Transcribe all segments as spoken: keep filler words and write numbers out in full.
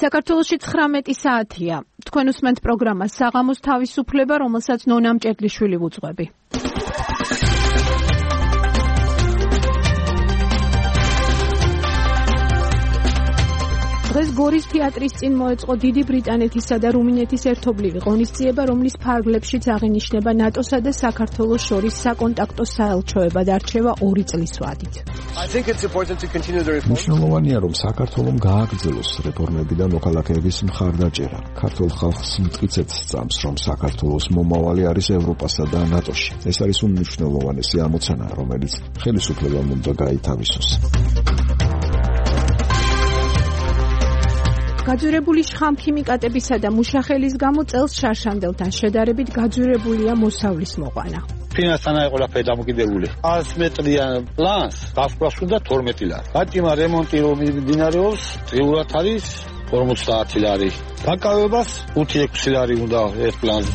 საქართველოში ცხრამეტი საათია. თქვენ უსმენთ პროგრამას საღამოს თავისუფლება, რომელსაც ნონა მჭედლიშვილი ვუძღვები. დღეს გორის თეატრის წინ მოეწყო დიდი ბრიტანეთისა და რუმინეთის ერთობლივი ღონისძიება, რომლის ფარგლებშიც აღინიშნება ნატოსა და საქართველოს შორის საკონტაქტო საელჩოებად არჩევა ორი წლის ვადით. მნიშვნელოვანია, რომ საქართველომ გააგრძელოს რეფორმები და მოქალაქეების მხარდაჭერა. ქართულ ხალხს მტკიცედ სწამს, რომ საქართველოს მომავალი არის ევროპასა და ნატოში. ეს არის უმნიშვნელოვანესი ამოცანა, რომელიც ხელისუფლებამ უნდა გაითავისოს. გაძვირებული შხამქიმიკატებისა და მუშახელის გამო წელს შარშანდელთან შედარებით გაძვირებულია მოსავლის მოყვანა. ფინანსთან აი ყველაფერი დამოკიდებული. ას მეტრიან პლანს გასვლას უნდა თორმეტი ლარი. გაჭიმა რემონტი რომ მიმდინარეობს, წრიურად არის ორმოცდაათი ლარი. დაკავებას ხუთი ექვსი ლარი უნდა ეს პლანზე.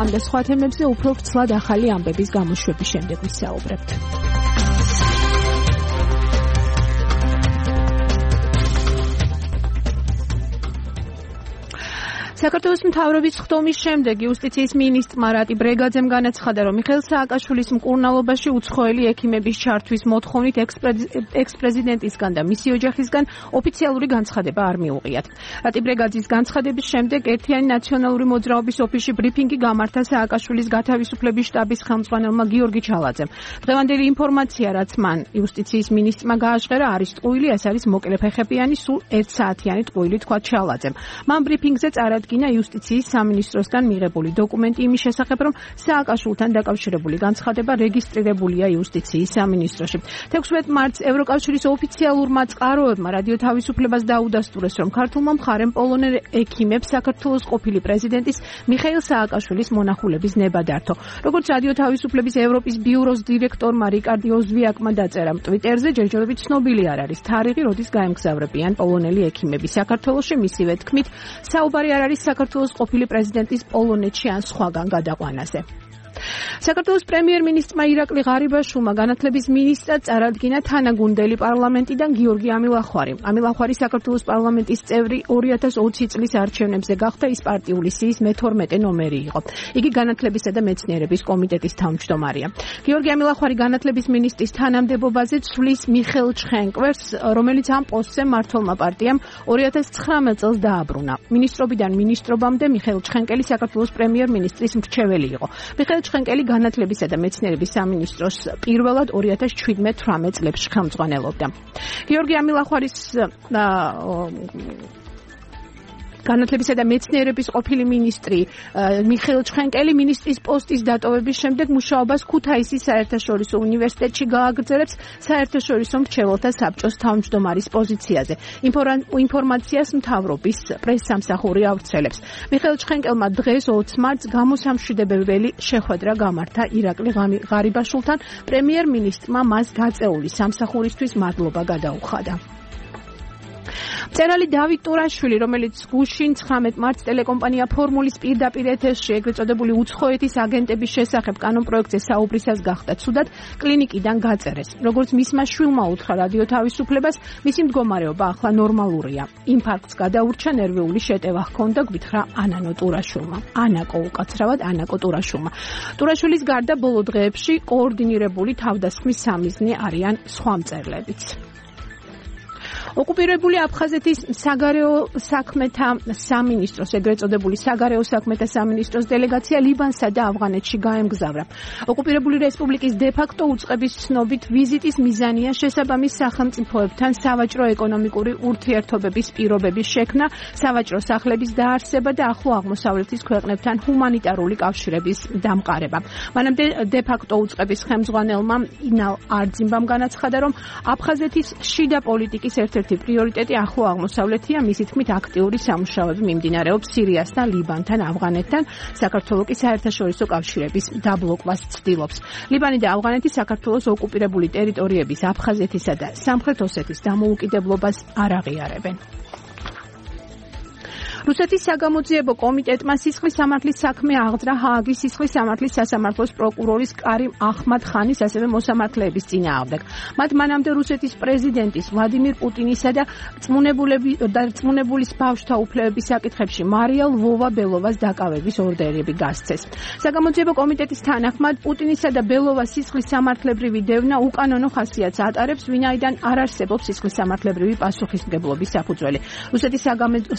ამ და სხვა თემებზე უფრო ვრცლად ახალი ამბების გამოშვების შემდეგ ვისაუბრებთ. საქართველოს მთავრობის ხდომის შემდეგ იუსტიციის მინისტრმა რატი ბრეგაძემ განაცხადა, რომ მიხეილ სააკაშვილის მკურნალობაში უცხოელი ექიმების ჩართვის მოთხოვნით ექს-პრეზიდენტისგან და მისი ოჯახისგან ოფიციალური განცხადება არ მიუღიათ. რატი ბრეგაძის განცხადების შემდეგ ერთიანი ნაციონალური მოძრაობის ოფისში ბრიფინგი გამართა სააკაშვილის გათავისუფლების შტაბის ხელმძღვანელმა გიორგი ჩალაძემ. დღევანდელი ინფორმაცია, რაც მან იუსტიციის მინისტრმა გააჟღერა, არის ტყუილი, ეს არის მოკლეფეხებიანი, სულ ერთ საათიანი ტყუილი, თქვა ჩალაძემ. მან ბრიფინგზე წარადგინა იუსტიციის სამინისტროსგან მიღებული დოკუმენტი იმის შესახებ, რომ სააკაშვილთან დაკავშირებული განცხადება რეგისტრირებულია იუსტიციის სამინისტროში. თექვსმეტ მარტს ევროკავშირის ოფიციალურმა წყაროებმა რადიო თავისუფლებას დაუდასტურეს, რომ ქართულმა მხარემ პოლონელ ექიმებს საქართველოს ყოფილი პრეზიდენტის მიხეილ სააკაშვილის მონახულების ნება დართო. როგორც რადიო თავისუფლების ევროპის ბიუროს დირექტორმა რიკარდი ოზვიაკმა დაწერა ტვიტერზე, ჯერჯერობით ცნობილი არ არის თარიღი, როდის გაემგზავრებიან პოლონელი ექიმები საქართველოში. მისივე თქმით, საუბარი არ არის საქართველოს ყოფილი პრეზიდენტის პოლონეთში ან სხვაგან გადაყვანაზე. საქართველოს პრემიერ-მინისტრმა ირაკლი ღარიბაშვილმა განათლების მინისტრად წარადგინა თანაგუნდელი პარლამენტიდან გიორგი ამილახვარი. ამილახვარი საქართველოს პარლამენტის წევრი ორი ათას ოცი წლის არჩევნებზე გახდა, ის პარტიული სიის მეთორმეტე ნომერი იყო. იგი განათლებისა და მეცნიერების კომიტეტის თავმჯდომარეა. გიორგი ამილახვარი განათლების მინისტრის თანამდებობაზე ცვლის მიხეილ ჩხენკვერს, რომელიც ამ პოსტზე მმართველმა პარტიამ ორი ათას ცხრამეტ წელს დააბრუნა. მინისტრობიდან მინისტრობამდე მიხეილ ჩხენკელი საქართველოს პრემიერ-მინისტრის მრჩეველი იყო. მიხეილ ჩხენკელი განათლებისა და მეცნიერების სამინისტროს პირველად ორი ათას შვიდმეტ თვრამეტ წლებში ხელმძღვანელობდა. გიორგი ამილახვარის განათლებისა და მეცნიერების ყოფილი მინისტრი მიხეილ ჩხენკელი მინისტრის პოსტის დატოვების შემდეგ მუშაობას ქუთაისის საერთაშორისო უნივერსიტეტში გააგრძელებს საერთაშორისო მრჩეველთა საბჭოს თავმჯდომარის პოზიციაზე. ინფორმაციას მთავრობის პრესსამსახური ავრცელებს. მიხეილ ჩხენკელმა დღეს ოცი მარტს გამოსამშვიდებელი შეხვედრა გამართა ირაკლი ღარიბაშვილთან. პრემიერ-მინისტრმა მას გაწეული სამსახურისთვის მადლობა გადაუხადა. მწერალი დავით ტურაშვილი, რომელიც გუშინ ცხრამეტ მარტს ტელეკომპანია ფორმულის პირდაპირ ეთერში ეგრეთ წოდებული უცხოეთის აგენტების შესახებ კანონპროექტზე საუბრისას გახდა ცუდად, კლინიკიდან გაწერეს. როგორც მისმა შვილმა უთხრა რადიო თავისუფლებას, მისი მდგომარეობა ახლა ნორმალურია. ინფარქტს გადაურჩა, ნერვიული შეტევა ჰქონდა, გვითხრა ანანო ტურაშვილმა. ანაკო უკაცრავად ანაკო ტურაშვილმა. ტურაშვილის გარდა ბოლო დღეებში კოორდინირებული თავდასხმის სამიზნე არიან სხვა მწერლებიც. ოკუპირებული აფხაზეთის საგარეო საქმეთა სამინისტროს, ეგრეთ წოდებული საგარეო საქმეთა სამინისტროს დელეგაცია ლიბანსა და ავღანეთში გაემგზავრა. ოკუპირებული რესპუბლიკის დე-ფაქტო უწყების ცნობით ვიზიტის მიზანია შესაბამის სახელმწიფოებთან სავაჭრო ეკონომიკური ურთიერთობების პირობების შექმნა, სავაჭრო სახლების დაარსება და ახლო აღმოსავლეთის ქვეყნებთან ჰუმანიტარული კავშირების დამყარება. მანამდე დე-ფაქტო უწყების ხელმძღვანელმა ინალ არძიმბამ განაცხადა, რომ აფხაზეთის შიდა პოლიტიკის ერთ-ერთი პრიორიტეტი ახლო აღმოსავლეთია, მისი თქმით აქტიური სამუშაოები მიმდინარეობს სირიასთან, ლიბანთან, ავღანეთთან, საქართველოს კი საერთაშორისო კავშირების დაბლოკვას ცდილობს. ლიბანი და ავღანეთი საქართველოს ოკუპირებული ტერიტორიების აფხაზეთისა და სამხრეთ ოსეთის დამოუკიდებლობას არ აღიარებენ. რუსეთის საგამოძიებო კომიტეტმა სისხლის სამართლის საქმე აღძრა ჰააგის სისხლის სამართლის სასამართლოს პროკურორის კარიმ ახმად-ხანის ასევე მოსამართლეების წინააღმდეგ. მათ მანამდე რუსეთის პრეზიდენტის ვლადიმირ პუტინისა და რწმუნებულის ბავშვთა უფლებების საკითხებში მარია ლვოვა-ბელოვას დაკავების ორდერები გასცეს. საგამოძიებო კომიტეტის თანახმად პუტინისა და ბელოვას სისხლის სამართლებრივი დევნა უკანონო ხასიათს ატარებს, ვინაიდან არ არსებობს სისხლის სამართლებრივი პასუხისმგებლობის საფუძველი. რუსეთის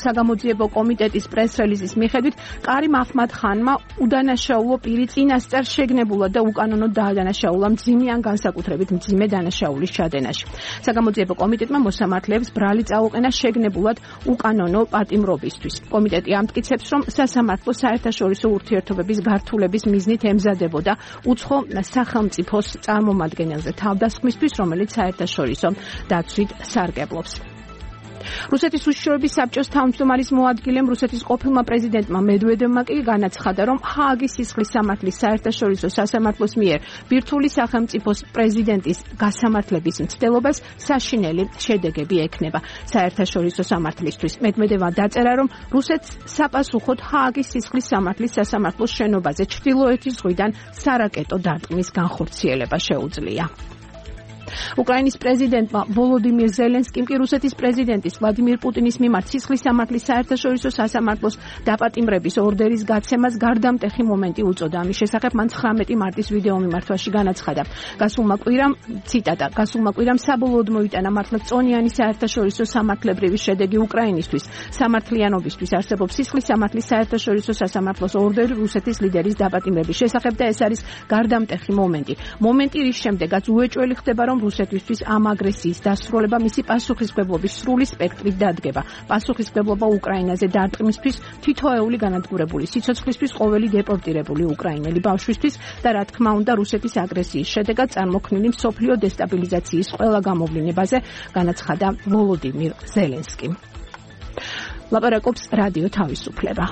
საგამოძიებო კომიტეტის პრეს-რელიზის მიხედვით კარიმ ახმად-ხანმა უდანაშაულო პირი წინასწარ შეგნებულად და უკანონოდ დაადანაშაულა მძიმე ან განსაკუთრებით მძიმე დანაშაულის ჩადენაში. საგამოძიებო კომიტეტმა მოსამართლეებს ბრალი წაუყენა შეგნებულად უკანონო პატიმრობისთვის. კომიტეტი ამტკიცებს, რომ სასამართლო საერთაშორისო ურთიერთობების გართულების მიზნით ემზადებოდა უცხო სახელმწიფოს წარმომადგენელზე თავდასხმისთვის, რომელიც საერთაშორისო დაცვით სარგებლობს. რუსეთის უშიშროების საბჭოს თავმჯდომარის მოადგილემ რუსეთის ყოფილმა პრეზიდენტმა მედვედევმა კი განაცხადა, რომ ჰააგის სისხლის სამართლის საერთაშორისო სასამართლოს მიერ ბირთვული სახელმწიფოს პრეზიდენტის გასამართლების მცდელობას საშინელი შედეგები ექნება. საერთაშორისო სამართლისთვის მედვედევმა დაწერა, რომ რუსეთს საპასუხოდ ჰააგის სისხლის სამართლის სასამართლოს შენობაზე ჩრდილოეთის ზღვიდან სარაკეტო დარტყმის განხორციელება შეუძლია. უკრაინის პრეზიდენტმა ვოლოდიმირ ზელენსკიმ კი რუსეთის პრეზიდენტის ვლადიმირ პუტინის მიმართ სისხლის სამართლის საერთაშორისო სასამართლოს დაპატიმრების ორდერის გაცემას გარდამტეხი მომენტი უწოდა. ამის შესახებ მან ცხრამეტი მარტის ვიდეო მიმართვაში განაცხადა. გასულმა კვირამ, ციტატა, გასულმა კვირამ საბოლოოდ მოიტანა მართლმწონიანი საერთაშორისო სამართლებრივი შედეგი უკრაინისთვის. სამართლიანობისთვის არსებობს სისხლის სამართლის საერთაშორისო სასამართლოს ორდერი რუსეთის ლიდერის დაპატიმრების შესახებ და ეს არის გარდამტეხი მომენტი. მომენტი, რის შემდეგაც უეჭველი ხდება, რომ რუსეთისთვის ამ აგრესიის დასრულება მისი პასუხისმგებლობის სრული სპექტრით დადგება. პასუხისმგებლობა უკრაინაზე დარტყმისთვის, თითოეული განადგურებული სიცოცხლისთვის, ყოველი დეპორტირებული უკრაინელი ბავშვისთვის და რა თქმა უნდა რუსეთის აგრესიის შედეგად წარმოქმნილი მსოფლიო დესტაბილიზაციის ყველა გამოვლენებაზე, განაცხადა ვოლოდიმირ ზელენსკიმ. ლაპარაკობს რადიო თავისუფლება.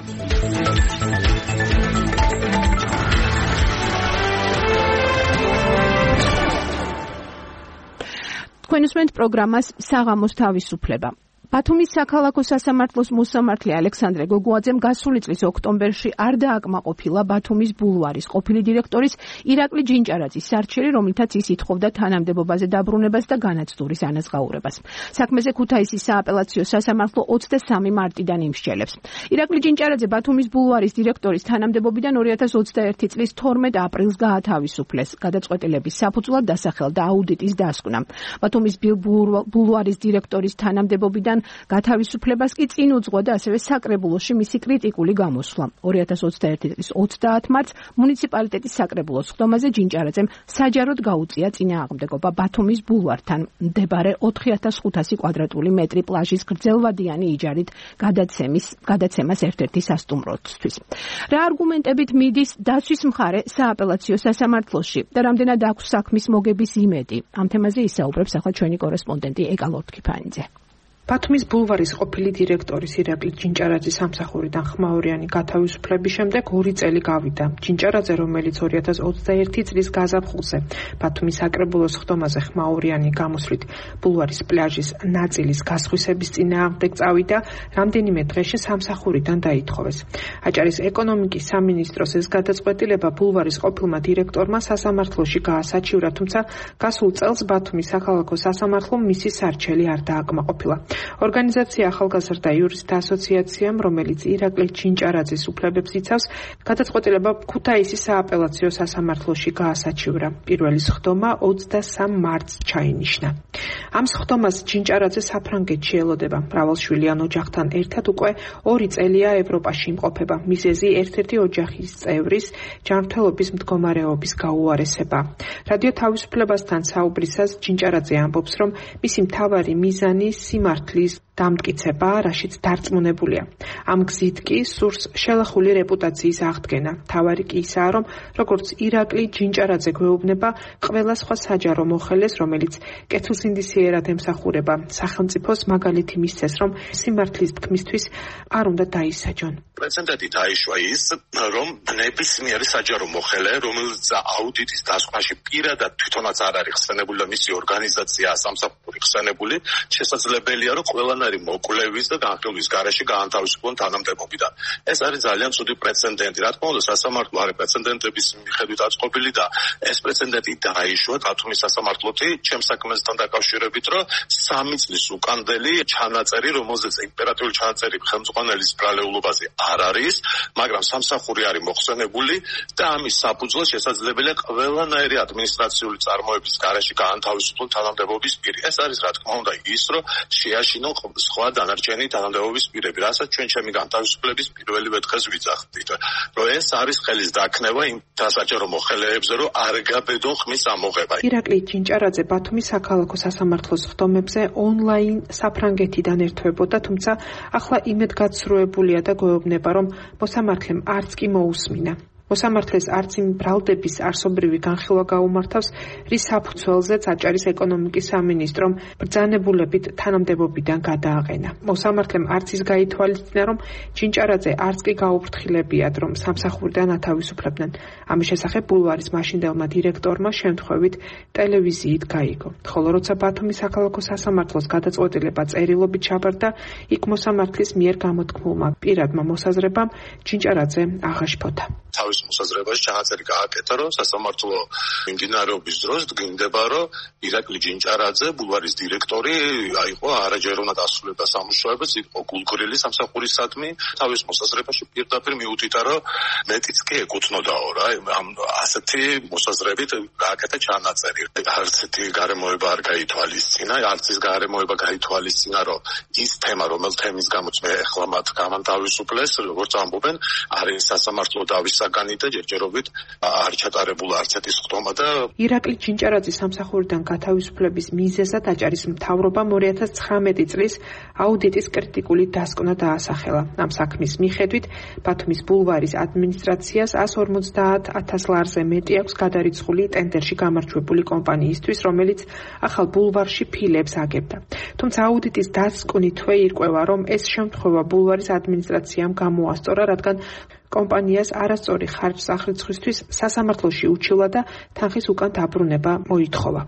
თქვენ უსმენთ პროგრამას საღამოს თავისუფლება. ბათუმის საქალაქო სასამართლოს მოსამართლე ალექსანდრე გოგუაძემ გასული წლის ოქტომბერში არ დააკმაყოფილა ბათუმის ბულვარის ყოფილი დირექტორის ირაკლი ჯინჭარაძის სარჩელი, რომლითაც ის ითხოვდა თანამდებობაზე დაბრუნებას და განაცდურის ანაზღაურებას. საქმეზე ქუთაისის სააპელაციო სასამართლო ოცდასამი მარტიდან იმსჯელებს. ირაკლი ჯინჭარაძე ბათუმის ბულვარის დირექტორის თანამდებობიდან ორი ათას ოცდაერთი წლის თორმეტ აპრილს გაათავისუფლეს. გადაწყვეტილების საფუძვლად დასახელდა აუდიტის დასკვნა. ბათუმის ბულვარის დირექტორის თანამდებობიდან გათავისუფლებას კი წინ უძღვა და ასევე საკრებულოში მისი კრიტიკული გამოსვლა. ორი ათას ოცდაერთი წლის ოცდაათ მარტს მუნიციპალიტეტის საკრებულოს ხდომაზე ჯინჭარაძემ საჯაროდ გაუწია წინააღმდეგობა ბათუმის ბულვართან მდებარე ოთხი ათას ხუთასი კვადრატული მეტრი პლაჟის გრძელვადიანი იჯარით გადაცემის გადაცემას ერთ-ერთი სასტუმროსთვის. რა არგუმენტებით მიდის დაცვის მხარე სააპელაციო სასამართლოში და რამდენად აქვს საქმის მოგების იმედი? ამ თემაზე ისაუბრებს ახლა ჩვენი კორესპონდენტი ეკა ლორთქიფანიძე. ბათუმის ბულვარის ყოფილი დირექტორის ირაკლი ჯინჭარაძის სამსახურიდან ხმაურიანი გათავისუფლების შემდეგ ორი წელი გავიდა. ჯინჭარაძე, რომელიც ორი ათას ოცდაერთი წლის გაზაფხულზე ბათუმის საკრებულოს ხდომაზე ხმაურიანი გამოსვლით ბულვარის პლაჟის ნაწილის გასხვისების წინააღმდეგ წავიდა, რამდენიმე დღეში სამსახურიდან დაითხოვეს. აჭარის ეკონომიკის სამინისტროს ეს გადაწყვეტილება ბულვარის ყოფილმა დირექტორმა სასამართლოში გაასაჩივრა, თუმცა გასულ წელს ბათუმის საქალაქო სასამართლომ მისი სარჩელი არ დააკმაყოფილა. ორგანიზაცია ახალგაზრდა იურისტთა ასოციაციამ, რომელიც ირაკლი ჯინჭარაძის უფლებებს იცავს, გადაწყვეტილება ქუთაისის სააპელაციო სასამართლოში გაასაჩივრა. პირველი სხდომა ოცდასამ მარტს ჩაინიშნა. ამ სხდომას ჯინჭარაძე საფრანგეთში ელოდება. მრავალშვილიან ოჯახთან ერთად უკვე ორი წელია ევროპაში იმყოფება. მიზეზი ერთ-ერთი ოჯახის წევრის ჯანმრთელობის მდგომარეობის გაუარესება. რადიო თავისუფლებასთან საუბრისას ჯინჭარაძე ამბობს, რომ მისი მთავარი მიზანი სიმართლის დამტკიცება, რაშიც დარწმუნებულია. ამ გზით კი სურს შელახული რეპუტაციის აღდგენა. თავარი კი ისაა, რომ როგორც ირაკლი ჯინჭარაძე გვეუბნება ყველა სხვა საჯარო მოხელეს, რომელიც კეთილსინდისიერად ემსახურება სახელმწიფოს, მაგალითი მისცეს, რომ სიმართლის თქმისთვის არ უნდა დაისაჯონ. პრეცედენტი დაიშვა ის, რომ ნებისმიერი საჯარო მოხელე, რომელიც აუდიტის დასკვნაში პირადად თვითონაც არ არის ხსენებული და მისი ორგანიზაცია სამსახური ხსენებული, შესაძლებელია, რომ ყველანაირი არანაირი მოკვლევის და განხილვის გარეშე გაანთავისუფლონ თანამდებობიდან. ეს არის ძალიან ცუდი პრეცედენტი. რა თქმა უნდა, სასამართლო არის პრეცედენტების მიხედვით აწყობილი და ეს პრეცედენტი დაიშვა ბათუმის სასამართლოთი ჩემს საქმესთან დაკავშირებით, რომ სამი წლის უკანდელი ჩანაწერი, რომელზეც იმპერატიული ჩანაწერი ხელმძღვანელის ბრალეულობაზე არ არის, მაგრამ სამსახური არის მოხსენებული და ამის საფუძვლად შესაძლებელია ყველანაირი ადმინისტრაციული წარმოების გარეშე გაანთავისუფლონ თანამდებობის პირი. ეს არის რა თქმა უნდა ის, რომ შეაშინონ სხვა დანარჩენი თანამდებობის პირები, რასაც ჩვენ ჩემი განთავისუფლების პირველივე დღეს ვიძახდით, რომ ეს არის ხელის დაქნება იმ დასაჯარო მოხელეებზე, რომ არ გაბედონ ხმის ამოღება. ირაკლი ჯინჭარაძე ბათუმის საქალაქო სასამართლოს ხდომებზე ონლაინ საფრანგეთიდან ერთვებოდა, თუმცა ახლა იმედგაცრუებულია და გვეუბნება, რომ მოსამართლემ არც კი მოусმინა. მოსამართლეს არც იმ ბრალდების არსობრივი განხილვა გაუმართავს, რის საფუძველზეც აჭარის ეკონომიკის სამინისტრომ ბრძანებულებით თანამდებობიდან გადააყენა. მოსამართლემ არც ის გაითვალისწინა, რომ ჯინჭარაძე არც კი გაუფრთხილებიათ, რომ სამსახურიდან ათავისუფლებდნენ. ამის შესახებ ბულვარის მაშინდელმა დირექტორმა შემთხვევით ტელევიზიით გაიგო. ხოლო როცა ბათუმის საქალაქო სასამართლოს გადაწყვეტილება წერილობით ჩაბარდა, იქ მოსამართლის მიერ გამოთქმულმა პირადმა მოსაზრებამ ჯინჭარაძე აღაშფოთა. თავის მოსაზრებაში ჩანაწერი გააკეთა, რომ სასამართლო მიმდინარეობის დროს დგინდება, რომ ირაკლი ჯინჭარაძე, ბულვარის დირექტორი, აიყო არაჯეროვნად ასრულებდა სამუშაოებს, იყო გულგრილი სამსახურისადმი. თავის მოსაზრებაში პირდაპირ მიუთითა, რომ მეტიც კი ეკუთვნოდაო რა, ამ ასეთი მოსაზრებით გააკეთა ჩანაწერი. არც ერთი გარემოება არ გაითვალისწინა, არც ის გარემოება გაითვალისწინა, რომ ის თემა, რომელ თემის გამოც მე ახლა მათ გამანთავისუფლეს, როგორც ამბობენ, არის სასამართლო დავის საგანი და ჯერჯერობით არ ჩატარებულა არც ერთი ხდომა და ირაკლი ჯინჭარაძის სამსახურიდან გათავისუფლების მიზეზად აჭარის მთავრობამ ორი ათას ცხრამეტი წლის აუდიტის კრიტიკული დასკვნა დაასახელა. ამ საქმის მიხედვით ბათუმის ბულვარის ადმინისტრაციას εκατს ორმოცდაათ ათას ლარზე მეტი აქვს გადარიცხული ტენდერში გამარჯვებული კომპანიისთვის, რომელიც ახალ ბულვარში ფილებს აგებდა. თუმცა აუდიტის დასკვნითვე ირკვევა, რომ ეს შემთხვევა ბულვარის ადმინისტრაციამ გამოასწორა, რადგან კომპანიას არასწორი ხარჯ-სახრიცხვისთვის სასამართლოში უჩილა და თანხის უკან დაბრუნება მოითხოვა.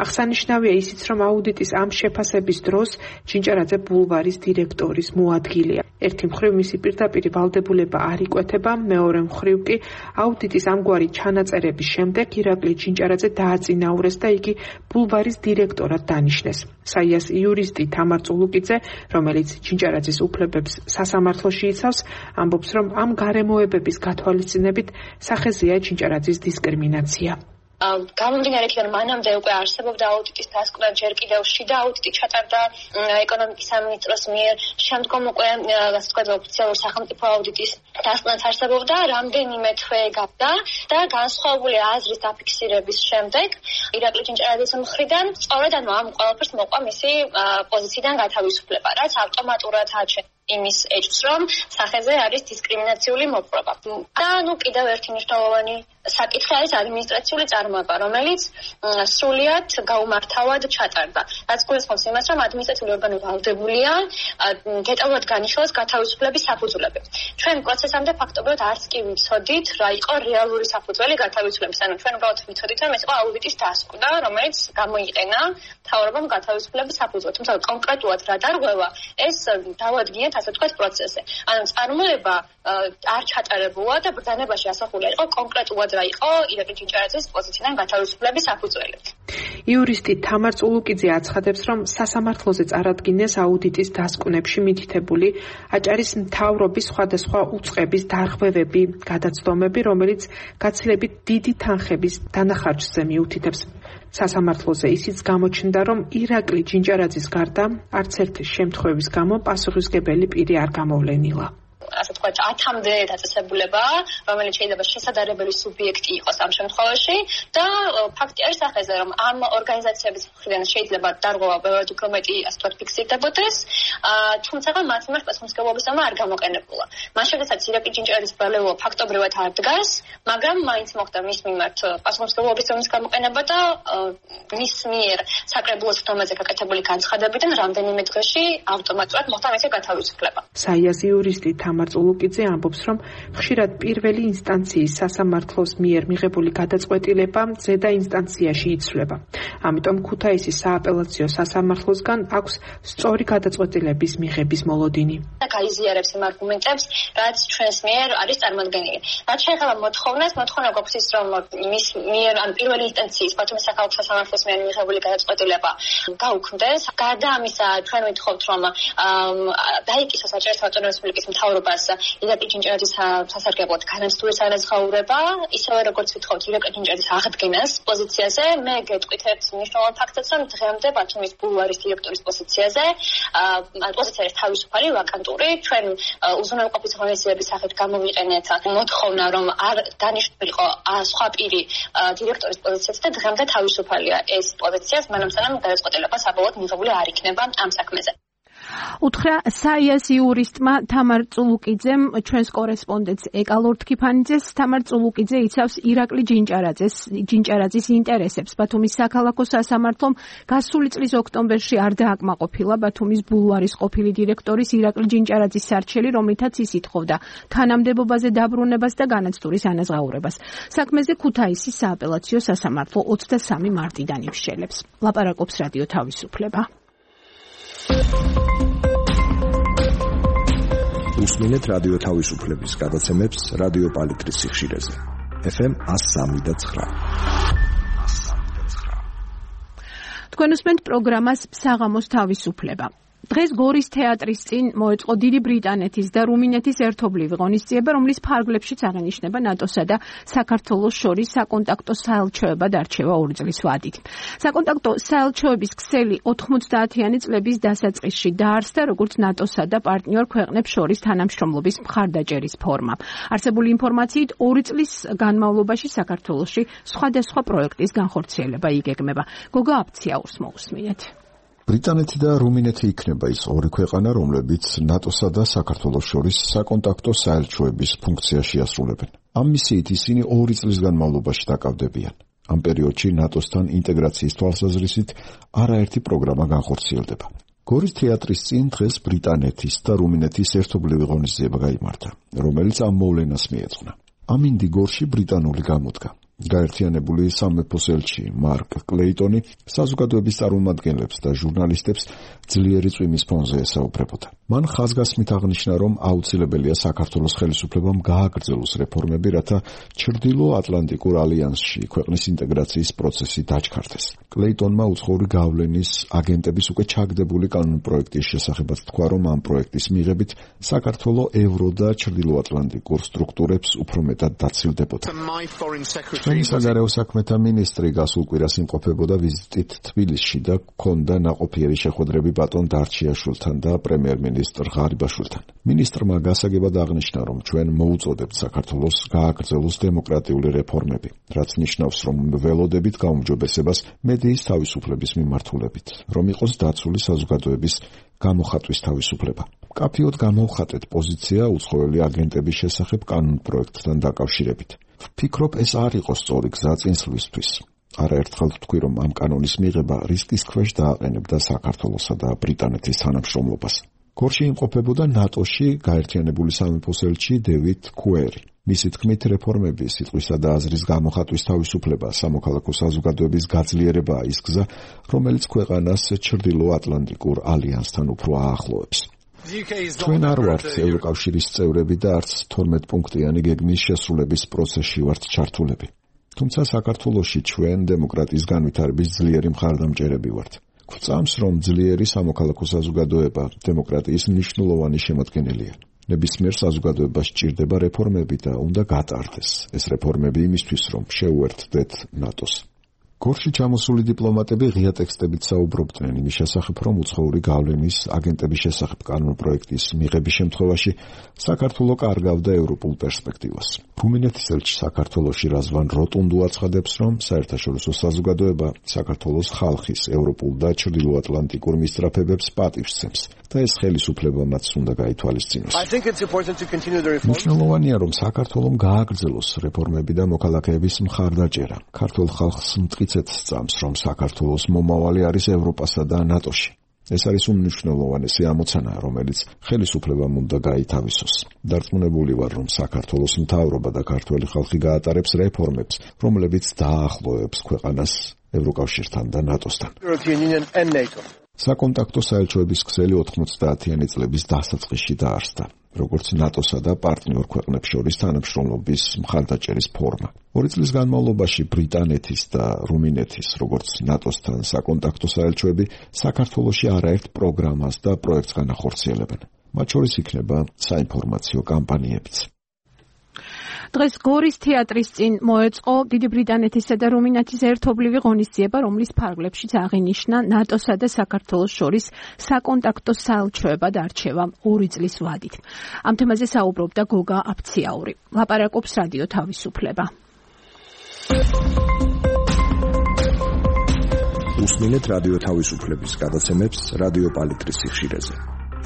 აღსანიშნავია ისიც, რომ აუდიტის ამ შეფასების დროს ჯინჭარაძე ბულვარის დირექტორის მოადგილეა. ერთი მხრივ მისი პირდაპირი ვალდებულება არ იკვეთება, მეორე მხრივ კი აუდიტის ამგვარი ჩანაწერების შემდეგ ირაკლი ჯინჭარაძე დააწინაურეს და იგი ბულვარის დირექტორად დანიშნეს. საიას იურისტი თამარ წულუკიძე, რომელიც ჯინჭარაძის უფლებებს სასამართლოში იცავს, ამბობს, რომ ამ გარემოებების გათვალისწინებით სახეზეა ჯინჭარაძის დისკრიმინაცია. გამომდინარე იქიდან მანამდე უკვე არსებობდა აუდიტის დასკვნა, ჯერ კიდევ შიდა აუდიტი ჩატარდა ეკონომიკის სამინისტროს მიერ, შემდგომ უკვე ასე ვთქვათ ოფიციალურ სახელმწიფო აუდიტის დასკვნაც არსებობდა, რამდენიმე თვე გავდა და განსხვავებული აზრის დაფიქსირების შემდეგ ირაკლი ჯინჭარაძის მხრიდან სწორედ ანუ ამ ყველაფერს მოყვა მისი პოზიციიდან გათავისუფლება, რაც ავტომატურად აჩვენებს იმის ეჭვს, რომ სახეზე არის დისკრიმინაციული მოპყრობა. და ნუ კიდევ ერთი მნიშვნელოვანი საკითხი არის ადმინისტრაციული წარმოება, რომელიც სრულიად გაუმართავად ჩატარდა. რაც გულისხმობს იმას, რომ ადმინისტრაციული ორგანო ვალდებულია გეტაულად განიშნოს გათავისუფლების საფუძვლები. ჩვენ პროცესამდე ფაქტობრივად არც კი ვიცოდით, რა იყო რეალური საფუძველი გათავისუფლების. ანუ ჩვენ უბრალოდ ვიცოდით, რომ ეს იყო აუდიტის დასკვნა, რომელიც გამოიყენა მთავრობამ გათავისუფლების საფუძვლად. თუმცა კონკრეტულად რა დარღვევა, ეს დავადგინეთ ასე ვთქვათ პროცესზე. ანუ წარმოება არ ჩატარებულა და ბრძანებაში ასახული იყო კონკრეტულად რა იყო ირაკლი ჯინჭარაძის პოზიციიდან გათავისუფლების საფუძველი. იურისტი თამარ წულუკიძე აცხადებს, რომ სასამართლოზე წარადგინეს აუდიტის დასკვნებში მითითებული აჭარის მთავრობის სხვადასხვა უწყების დარღვევები, გადაცდომები, რომელიც გაცილებით დიდი თანხების დანახარჯზე მიუთითებს. სასამართლოზე ისიც გამოჩნდა, რომ ირაკლი ჯინჭარაძის გარდა არც ერთი შემთხვევის გამო პასუხისმგებელი პირი არ გამოვლენილა. ასე ვთქვათ, ათამდე დაწესებულება, რომელიც შეიძლება შესაძლებელი სუბიექტი იყოს ამ შემთხვევაში და ფაქტი არის სახეზე, რომ ამ ორგანიზაციების მხრიდან შეიძლება დარღვევა ბევრად უფრო მეტი, ასე ვთქვათ, ფიქსირდებოდეს, თუმცა მათ მიმართ პასუხისმგებლობისამა არ გამოყენებულა. მას შესაძლოა ირაკლი ჯინჭარაძის ბრალეულობა ფაქტობრივად არ დგას, მაგრამ მაინც მოხდა მის მიმართ პასუხისმგებლობისამა გამოყენება და მის მიერ საკრებულოს ხდომაზე გაკეთებული განცხადებიდან რამდენიმე დღეში ავტომატურად მოხდა მისი გათავისუფლება. საიას იურისტი თამარ თამარ წულუკიძე ამბობს, რომ ხშირად პირველი ინსტანციის სასამართლოს მიერ მიღებული გადაწყვეტილება ზედა ინსტანციაში იცვლება. ამიტომ ქუთაისის სააპელაციო სასამართლოსგან აქვს სწორი გადაწყვეტილების მიღების მოლოდინი. გაიზიარებს იმ არგუმენტებს, რაც ჩვენს მიერ არის წარმოდგენილი. რაც შეეხება მოთხოვნას, მოთხოვნა გვაქვს ის, რომ მის მიერ ან პირველი ინსტანციის ბათუმის საქალაქო სასამართლოს მიერ მიღებული გადაწყვეტილება გაუქმდეს. გარდა ამისა, ჩვენ ვითხოვთ, რომ დაიკისოს საჭირო ავტონომიური რესპუბლიკის მთავრობას ირაკლი ჭინჭარაძის სასარგებლოდ განაცდულის ანაზღაურება, ისევე როგორც ვითხოვთ ირაკლი ჭინჭარაძის აღდგენას პოზიციაზე. მე გეტყვით ერთ მნიშვნელოვან ფაქტს, რომ დღემდე ბათუმის ბულვარის დირექტორის პოზიციაზე პოზიცია არის თავისუფალი, ვაკანტური. ჩვენ უზრუნველყოფის ღონისძიების სახით გამოვიყენეთ მოთხოვნა, რომ არ დანიშნულიყო სხვა პირი დირექტორის პოზიციაზე და დღემდე თავისუფალია ეს პოზიციას, მანამ სანამ გადაწყვეტილება საბოლოოდ მიღებული არ იქნება ამ საქმეზე. უთხრა საიას იურისტმა თამარ წულუკიძემ ჩვენს კორესპონდენტს ეკალორ თქიფანიძეს. თამარ წულუკიძე იცავს ირაკლი ჭინჭარაძეს ჭინჭარაძის ინტერესებს. ბათუმის საქალაქო სასამართლომ გასული წლის ოქტომბერში არ დააკმაყოფილა ბათუმის ბულვარის ყოფილი დირექტორის ირაკლი ჭინჭარაძის სარჩელი, რომლითაც ის ითხოვდა თანამდებობაზე დაბრუნებას და განაცდულის ანაზღაურებას. საქმეზე ქუთაისის სააპელაციო სასამართლო ოცდასამი მარტიდან იშელებს. ლაპარაკობს რადიო თავისუფლება. უსმინეთ რადიო თავისუფლების გადაცემებს რადიო პალიტრის სიხშირეზე. ეფ ემ one oh three point nine. თქვენ უსმენთ პროგრამას საღამოს თავისუფლება. დღეს გორის თეატრის წინ მოეწყო დიდი ბრიტანეთის და რუმინეთის ერთობლივი ღონისძიება, რომლის ფარგლებშიც აღინიშნება ნატოსა და საქართველოს შორის საკონტაქტო საელჩოება დარჩევა ორი წლის ვადით. საკონტაქტო საელჩოების ქსელი ოთხმოცდაათიანი წლების დასაწყისში დაარსდა, როგორც ნატოსა და პარტნიორ ქვეყნებს შორის თანამშრომლობის მხარდაჭერის ფორმა. არსებული ინფორმაციით ორი წლის განმავლობაში საქართველოში სხვადასხვა პროექტის განხორციელება იგეგმება. გოგა აფციაურს მოусმინეთ. ბრიტანეთი და რუმინეთი იქნება ის ორი ქვეყანა, რომლებიც ნატოსა და საქართველოს შორის საკონტაქტო საელჩოების ფუნქციას შეასრულებენ. ამ მისიით ისინი ორი წლის განმავლობაში დაკავდებიან. ამ პერიოდში ნატოსთან ინტეგრაციის თვალსაზრისით არაერთი პროგრამა განხორციელდება. გორის თეატრის წინ დღეს ბრიტანეთის და რუმინეთის ერთობლივი ღონისძიება გაიმართა, რომელიც ამ მოვლენას მიეძღვნა. ამინდი გორში ბრიტანული გამოდგა. გაერთიანებული სამეფოს ელჩი მარკ კლეიტონი საზოგადოების წარმომადგენლებს და ჟურნალისტებს ძლიერი წვიმის ფონზე ესაუბრებოდა. მან ხაზგასმით აღნიშნა, რომ აუცილებელია საქართველოს ხელისუფლებამ გააგრძელოს რეფორმები, რათა ჩრდილო ატლანტიკურ ალიანსში ქვეყნის ინტეგრაციის პროცესი დაჩქარდეს. კლეიტონმა უცხოური გავლენის აგენტების უკვე ჩაგდებული კანონპროექტის შესახებაც თქვა, რომ ამ პროექტის მიღებით საქართველო ევრო და ჩრდილო ატლანტიკურ სტრუქტურებს უფრო მეტად დაცილდებოდა. ჩვენი საგარეო საქმეთა მინისტრი გასულ კვირას იმყოფებოდა ვიზიტით თბილისში და ჰქონდა ნაყოფიერი შეხვედრები ბატონ დარჩიაშვილთან და პრემიერ-მინისტრ ღარიბაშვილთან. მინისტრმა გასაგებად აღნიშნა, რომ ჩვენ მოუწოდებთ საქართველოს გააგრძელოს დემოკრატიული რეფორმები, რაც ნიშნავს, რომ ველოდებით გაუმჯობესებას მედიის თავისუფლების მიმართულებით, რომ იყოს დაცული საზოგადოების გამოხატვის თავისუფლება. კაფიოდ გამოვხატეთ პოზიცია უცხოელი აგენტების შესახებ კანონპროექტთან დაკავშირებით. ვფიქრობ, ეს არ იყო სწორი გზა წინსვლისთვის. არაერთხელ ვთქვი, რომ ამ კანონის მიღება რისკის ქვეშ დააყენებდა საქართველოსა და ბრიტანეთის თანამშრომლობას. გორში იმყოფებოდა ნატოში გაერთიანებული სამეფოს ელჩი დევიდ კუერი. მისი თქმით, რეფორმები, სიტყვისა და აზრის გამოხატვის თავისუფლება, სამოქალაქო საზოგადოების გაძლიერებაა ის გზა, რომელიც ქვეყანას ჩრდილო ატლანტიკურ ალიანსთან უფრო აახლოებს. ჩვენ არ ვართ ევროკავშირის წევრები და არც თორმეტ პუნქტიანი გეგმის შესრულების პროცესში ვართ ჩართულები. თუმცა საქართველოში ჩვენ დემოკრატიის განვითარების ძლიერი მხარდამჭერები ვართ. გვწამს, რომ ძლიერი სამოქალაქო საზოგადოება დემოკრატიის მნიშვნელოვანი შემადგენელია. ნებისმიერ საზოგადოებას სჭირდება რეფორმები და უნდა გატარდეს. ეს რეფორმები იმისთვის, რომ შეუერთდეთ ნატოს. გორში ჩამოსული დიპლომატები ღია ტექსტებით საუბრობდნენ იმის შესახებ, რომ უცხოური გავლენის აგენტების შესახებ კანონპროექტის მიღების შემთხვევაში საქართველო კარგავდა ევროპულ პერსპექტივას. რუმინეთის ელჩი საქართველოში რაზვან როტუნდუ აცხადებს, რომ საერთაშორისო საზოგადოება საქართველოს ხალხის ევროპულ და ჩრდილოატლანტიკურ მისწრაფებებს პატივს სცემს და ეს ხელისუფლებამაც უნდა გაითვალისწინოს. მნიშვნელოვანია, რომ საქართველომ გააგრძელოს რეფორმები და მოქალაქეების მხარდაჭერა. ქართულ ხალხს მტკიცედ სწამს, რომ საქართველოს მომავალი არის ევროპასა და ნატოში. ეს არის უმნიშვნელოვანესი ამოცანა, რომელიც ხელისუფლებამ უნდა გაითავისოს. დარწმუნებული ვარ, რომ საქართველოს მთავრობა და ქართველი ხალხი გაატარებს რეფორმებს, რომლებიც დაახლოებს ქვეყანას ევროკავშირთან და ნატოსთან. საკონტაქტო საელჩოების ქსელი ოთხმოცდაათიანი წლების დასაწყისში დაარსდა, როგორც ნატოსა და პარტნიორ ქვეყნებს შორის თანამშრომლობის მხარდაჭერის ფორმა. ორი წლის განმავლობაში ბრიტანეთის და რუმინეთის, როგორც ნატოსთან საკონტაქტო საელჩოები, საქართველოში არაერთ პროგრამას და პროექტს განახორციელებენ. მათ შორის იქნება საინფორმაციო კამპანიებიც. დღეს გორის თეატრის წინ მოეწყო დიდი ბრიტანეთისა და რუმინეთის ერთობლივი ღონისძიება, რომლის ფარგლებშიც აღინიშნა ნატოსა და საქართველოს შორის საკონტაქტო საელჩოებად არჩევა ორი წლის ვადით. ამ თემაზე საუბრობდა გოგა აფციაური. ლაპარაკობს რადიო თავისუფლება. უსმინეთ რადიო თავისუფლების გადაცემებს რადიო პალიტრის სიხშირეზე.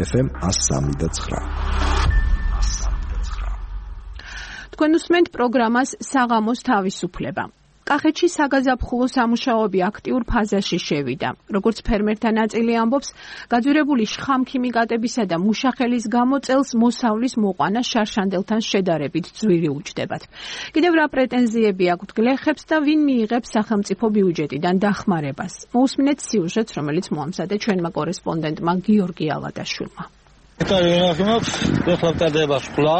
ეფ ემ one oh three point nine. თქვენ უსმენთ პროგრამას საღამოს თავისუფლება. კახეთში საგაზაფხულო სამუშაოები აქტიურ ფაზაში შევიდა. როგორც ფერმერთა ნაწილი ამბობს, გაძვირებული შხამქიმიკატებისა და მუშახელის გამო წელს მოსავლის მოყვანა შარშანდელთან შედარებით ძვირი უჯდებათ. კიდევ რა პრეტენზიები აქვთ გლეხებს და ვინ მიიღებს სახელმწიფო ბიუჯეტიდან დახმარებას? მოусმინეთ სიუჟეტს, რომელიც მოამზადე ჩვენმა კორესპონდენტმა გიორგი ალადაშვილმა. ეხლა ტარდება სკოლა,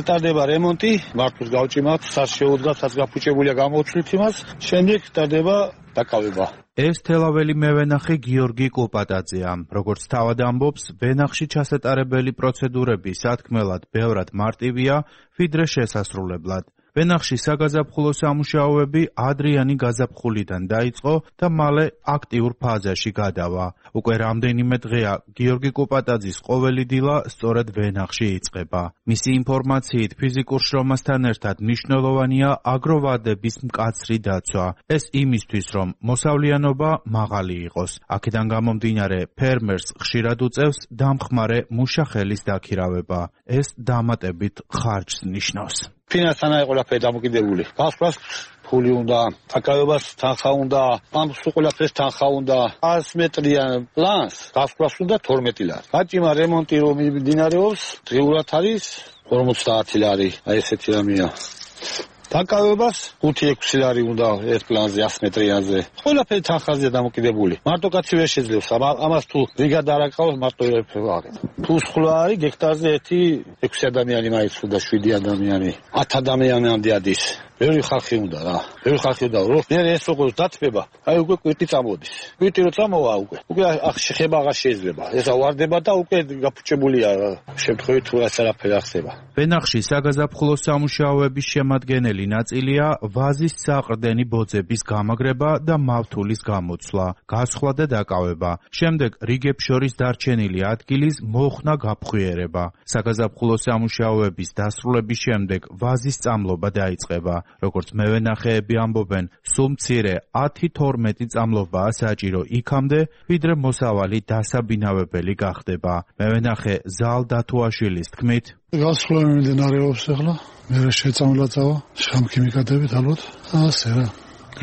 ტარდება რემონტი, მართლაც გავჭიმათ, სას შეუდგა, სას გაფუჭებულია გამოვცვლით იმას, შემდეგ ტარდება დაკავება. ეს თელაველი მევენახე გიორგი კოპატაძეა. როგორც თავად ამბობს, ვენახში ჩასატარებელი პროცედურები სათქმელად ბევრად მარტივია, ვიდრე შესასრულებლად. ვენახში საგაზაფხულო სამუშაოები ადრიანი გაზაფხულიდან დაიწყო და მალე აქტიურ ფაზაში გადავა. უკვე რამდენიმე დღეა გიორგი კოპატაძის ყოველი დილა სწორედ ვენახში იწყება. მისი ინფორმაციით ფიზიკურ შრომასთან ერთად მნიშვნელოვანია აგროვადების მკაცრი დაცვა. ეს იმისთვის, რომ მოსავლიანობა მაღალი იყოს. აქედან გამომდინარე, ფერმერს ხშირად უწევს დამხმარე მუშახელის დაქირავება. ეს დამატებით ხარჯს ნიშნავს. ფინანსთან არის ყველაფერი დამოკიდებული. გასვლას ფული უნდა, დაკავებას თანხა უნდა, ამს ყველაფერს თანხა უნდა. one hundred მეტრიან პლანს გასვლას უნდა თორმეტი ლარი. გაჭიმა რემონტი რომ მიმდინარეობს, დღეურად არის ორმოცდაათი ლარი. აი ესეთი რამეა. დაკავებას ხუთი ექვსი ლარი უნდა ერთ პლანზე one hundred მეტრიანზე. ყველაფერი თანხაზეა დამოკიდებული. მარტო კაცი ვერ შეძლებს. ამას თუ რიგად არ აკავებს, მარტო ერაფერი აღება. თუ სხლა არის გექტარზე ერთი ექვსი ადამიანი მაინც უნდა შვიდი ადამიანი. ათ ადამიანამდე ადის. ბევრი ხალხი უნდა რა. ბევრი ხალხი უნდა რომ ეს როგორ დათბება. აი უკვე კვირტი წამოდის. კვირტი რო წამოვა უკვე. უკვე შეხება აღარ შეიძლება. ეს ავარდება და უკვე გაფუჭებულია შემთხვევით თუ რაც არაფერი ახსება. ვენახში საგაზაფხულო სამუშაოების შემადგენელი ნაწილია ვაზის საყრდენი ბოძების გამაგრება და მავთულის გამოცვლა, გასხლა და დაკავება. შემდეგ რიგებს შორის დარჩენილი ადგილის მოხსნა გაფხვიერება. საგაზაფხულო სამუშაოების დასრულების შემდეგ ვაზის წამლობა დაიწყება. როგორც მევენახეები ამბობენ, სულ მცირე ათი თორმეტი წამლობაა საჭირო იქამდე, ვიდრე მოსავალი დასაბინავებელი გახდება. მევენახე ზალ დათუაშვილის თქმით, გასხლა მიმდინარეობს ახლა, მე შეწამლაცავა, შხამქიმიკატებით ალბათ, ასე რა.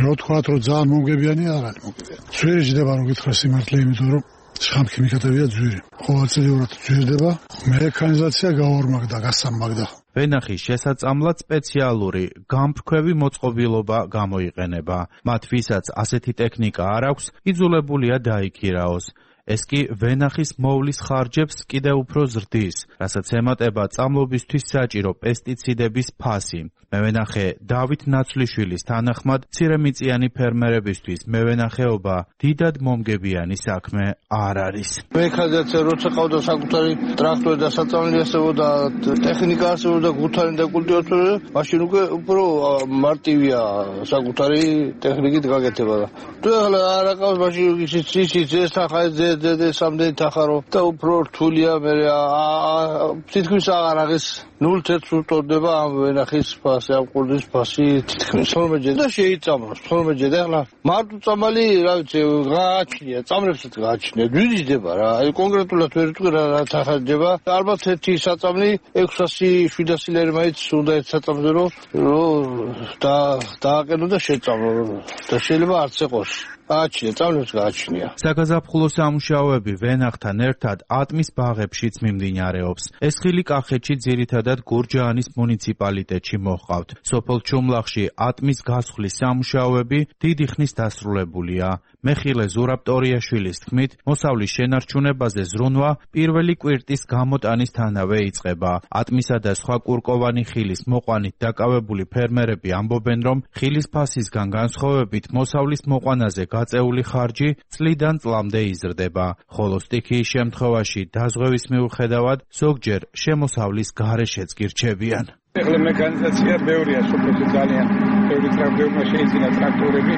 რა თქვათ, რომ ძალიან მომგებიანი არ არის მომგებიანი. ძვირი ჯდება რომ გითხრა სიმართლე, იმიტომ რომ შხამქიმიკატებია ძვირი. ყოველწლიურად ძვირდება, მექანიზაცია გაორმაგდა, გასამაგდა. ვენახის შესაწამლად სპეციალური გამფრქვევი მოწყობილობა გამოიყენება. მათ ვისაც ასეთი ტექნიკა არ აქვს, იძულებულია დაიქირაოს. ეს კი ვენახის მოვლის ხარჯებს კიდევ უფრო ზრდის, რასაც ემატება წამლობისთვის საჭირო პესტიციდების ფასი. მევენახე დავით ნაცვლიშვილის თანახმად, მცირემიწიანი ფერმერებისთვის მევენახეობა დიდად მომგებიანი საქმე არ არის. მექანიზაცია როცა ყავდა საკუთარი ტრაქტორი და საწამლი ასებოდა, ტექნიკა ასებოდა, გუთანი და კულტივატორი, მაშინ უკვე უფრო მარტივია საკუთარი ტექნიკით გაკეთება. თუ ახლა არ აყავს, მაშინ ისიც ისიც ეს ახლა ძე სამდენი თახარო და უფრო რთულია, მე თითქმის აღარ აღეს ნულს ერთს უტოლდება ამ ვენახის ფასი, ამ ყურძნის ფასი თითქმის თორმეტ და შეიწამლოს თორმეტ და ახლა მარტო წამალი, რა ვიცი, გააჩნია, წამლებსაც გააჩნია, ძვირი ჯდება რა, აი კონკრეტულად ვერ ვიტყვი რა თახა ჯდება. ალბათ ერთი საწამლი ექვსასი შვიდასი ლარი მაინც უნდა ერთ საწამლზე რომ და დააყენო და შეწამლო და შეიძლება არც ეყოს. გააჩნია, წავლებს გააჩნია. საგაზაფხულო სამუშაოები ვენახთან ერთად ატმის ბაღებშიც მიმდინარეობს. ეს ხილი კახეთში ძირითადად გურჯაანის მუნიციპალიტეტში მოჰყავთ. სოფელ ჩუმლახში ატმის გასხლის სამუშაოები დიდი ხნის დასრულებულია. მეხილე ზურაბ ტორიაშვილის თქმით, მოსავლის შენარჩუნებაზე ზრუნვა პირველი კვირტის გამოტანისთანავე იწყება. ატმისა და სხვა კურკოვანი ხილის მოყვანით დაკავებული ფერმერები ამბობენ, რომ ხილის ფასისგან განსხვავებით მოსავლის მოყვანაზე გაწეული ხარჯი წლიდან წლამდე იზრდება, ხოლო სტიქიის შემთხვევაში დაზღვევის მიუხედავად ზოგჯერ შემოსავლის გარეშეც კი რჩებიან. ეხლა მექანიზაცია ბევრია სოფელში, ძალიან ბევრი ტრაქტორმა შეიძინა ტრაქტორები.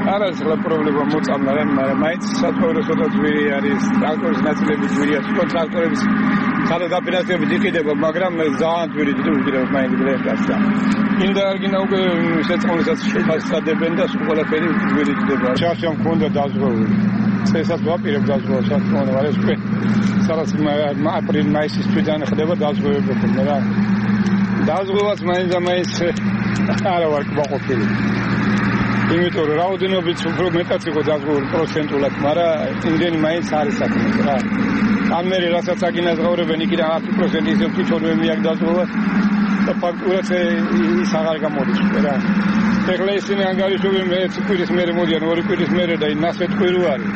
არ არის ახლა პრობლემა მოწამლა რა, მაგრამ მაინც სათვალოსოდაც ძვირი არის, ტრაქტორის ნაწილები ძვირია, თვითონ ტრაქტორების სადა დაფინანსებით იყიდება, მაგრამ ძალიან ძვირი უჭირავს მაინც გრეხასა. ინდა არ გინდა უკვე შეწყობილსაც შეფასადებენ და სულ ყველაფერი ძვირი ხდება. შარშა მქონდა დაზღვეული. წესაც ვაპირებ დაზღვეულს, საკმაოდ არ ეს უკვე სადაც აპრილ მაისის თვიდან ხდება დაზღვევები, მაგრამ დაზღვევას მაინც და მაინც არა ვარ გვაყოფილი. იმიტომ რომ რაოდენობით უფრო მეტად იყო დაზღვეული პროცენტულად, მაგრამ იმდენი მაინც არის საქმე რა. ან მე რასაც აგინაზღაურებენ იქიდან ათი პროცენტი ისე თვითონვე მიაკ დაზღვევას და ფაქტურად ის აღარ გამოდის რა. ეხლა ისინი ანგარიშობენ მე კვირის მერე მოდიან ორი კვირის მერე და ნასეთკვირი არის.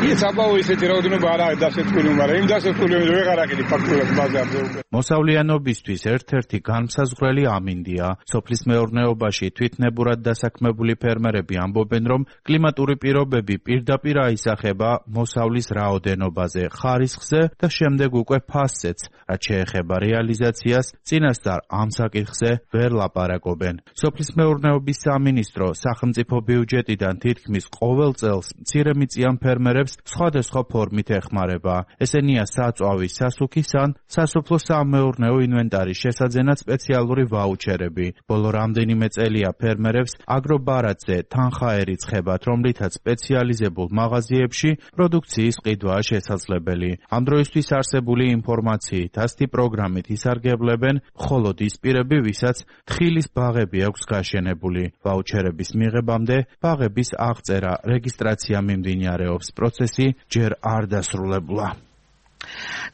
ის აბაო ისეთი რაოდენობა არ არის დასეთკვილი, მაგრამ იმ დასეთკვილი ვეღარ აყიდი ფაქტურად ბაზარზე უკვე. მოსავლიანობისთვის ერთ-ერთი განმსაზღვრელი ამინდია. სოფლის მეურნეობაში თვითნებურად დასაქმებული ფერმერები ამბობენ, რომ კლიმატური პირობები პირდაპირ აისახება მოსავლის რაოდენობაზე, ხარისხზე და შემდეგ უკვე ფასზეც, რაც შეეხება რეალიზაციას, წინასწარ ამ საკითხზე ვერ ლაპარაკობენ. სოფლის მეურნეობის სამინისტრო სახელმწიფო ბიუჯეტიდან თითქმის ყოველ წელს მცირემიწიან ფერმერებს სხვადასხვა ფორმით ეხმარება. ესენია საწვავის, სასუქის ან სასოფლო სამეურნეო ინვენტარის შესაძენად სპეციალური ვაუჩერები. ბოლო რამდენიმე წელია ფერმერებს აგრობარათზე თანხა ერიცხებათ, რომლითაც სპეციალიზებულ მაღაზიებში პროდუქციის ყიდვაა შესაძლებელი. ამ დროისთვის არსებული ინფორმაციით ასეთი პროგრამით ისარგებლებენ მხოლოდ ის პირები, ვისაც თხილის ბაღები აქვს გაშენებული. ვაუჩერების მიღებამდე ბაღების აღწერა, რეგისტრაცია მიმდინარეობს. პროცესი ჯერ არ დასრულებულა.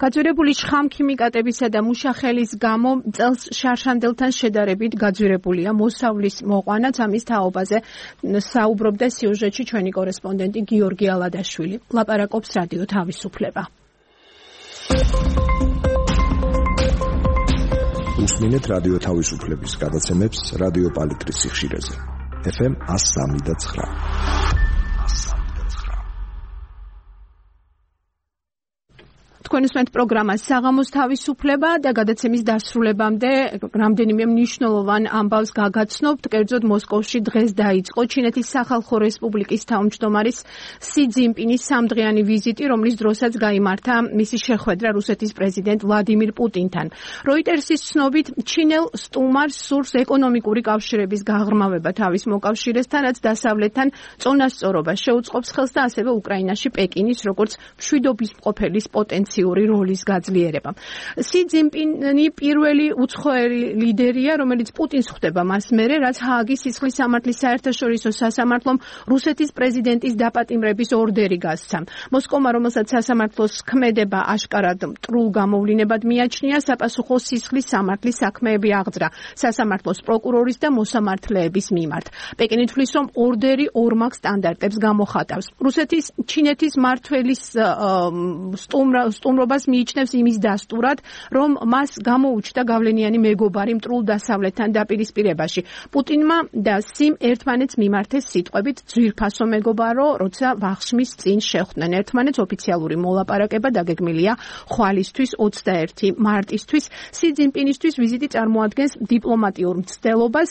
გაძვირებული შხამქიმიკატებისა და მუშახელის გამო წელს შარშანდელთან შედარებით გაძვირებულია მოსავლის მოყვანაც. ამის თაობაზე საუბრობდა სიუჟეტში ჩვენი კორესპონდენტი გიორგი ალადაშვილი. ლაპარაკობს რადიო თავისუფლება. უსმინეთ რადიო თავისუფლების გადაცემებს რადიო პალიტრის სიხშირეზე. ეფ ემ one oh three point nine. თქვენ უსმენთ პროგრამას საღამოს თავისუფლება და გადაცემის დასრულებამდე რამდენიმე მნიშვნელოვან ამბავს გაგაცნობთ. კერძოდ მოსკოვში დღეს დაიწყო ჩინეთის სახალხო რესპუბლიკის თავმჯდომარის სი ძინპინის სამდღიანი ვიზიტი, რომლის დროსაც გაიმართა მისი შეხვედრა რუსეთის პრეზიდენტ ვლადიმირ პუტინთან. როიტერსის ცნობით ჩინელ სტუმარს სურს ეკონომიკური კავშირების გაღრმავება თავის მოკავშირესთან, რაც დასავლეთთან წონასწორობას შეუწყობს ხელს და ასევე უკრაინაში პეკინის როგორც მშვიდობის მყოფელის პოტენციალს როლის გაძლიერება. სი ძინპინი პირველი უცხოელი ლიდერია, რომელიც პუტინს ხვდება მას მერე, რაც ჰააგის სისხლის სამართლის საერთაშორისო სასამართლომ რუსეთის პრეზიდენტის დაპატიმრების ორდერი გასცა. მოსკოვმა, რომელსაც სასამართლოს ქმედება აშკარად მტრულ გამოვლინებად მიაჩნია, საპასუხო სისხლის სამართლის საქმეები აღძრა სასამართლოს პროკურორის და მოსამართლეების მიმართ. პეკინი თვლის, რომ ორდერი ორმაგ სტანდარტებს გამოხატავს. რუსეთის ჩინეთის მმართველის სტუმრა სტუმრობას მიიჩნევს იმის დასტურად, რომ მას გამოუჩნდა გავლენიანი მეგობარი მტრულ დასავლეთთან დაპირისპირებაში. პუტინმა და სიმ ერთმანეთს მიმართეს სიტყვებით ძვირფასო მეგობარო, როცა ვახშმის წინ შეხვდნენ ერთმანეთს. ოფიციალური მოლაპარაკება დაგეგმილია ხვალისთვის ოცდაერთი მარტისთვის. სი ძინპინისთვის ვიზიტი წარმოადგენს დიპლომატიურ მცდელობას,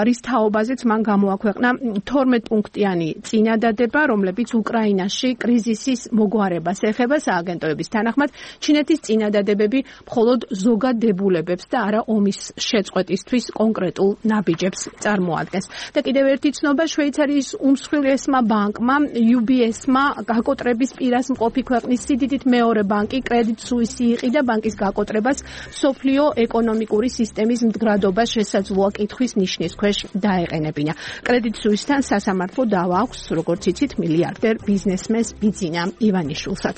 რის თაობაზეც მან გამოაქვეყნა თორმეტ პუნქტიანი წინადადება, რომლებიც უკრაინაში კრიზისის მოგვარებას ეხება. სააგენტოების თანახმად შესაბამისად, ჩინეთის წინადადებები მხოლოდ ზოგადებულებებს და არა ომის შეწყვეტისთვის კონკრეტულ ნაბიჯებს წარმოადგენს. და კიდევ ერთი ცნობა, შვეიცარიის უმსხვილესმა ბანკმა იუ ბი ეს-მა გაკოტრების პირას მყოფი ქვეყნის სიდიდით მეორე ბანკი კრედიტ სუისი იყიდა ბანკის გაკოტრებას სოფლიო ეკონომიკური სისტემის მდგრადობას შესაძლოა კითხვის ნიშნის ქვეშ დაეყენებინა. კრედიტ სუისთან სასამართლო დავა აქვს, როგორც იცით, მილიარდერ ბიზნესმენს ბიძინა ივანიშვილსაც.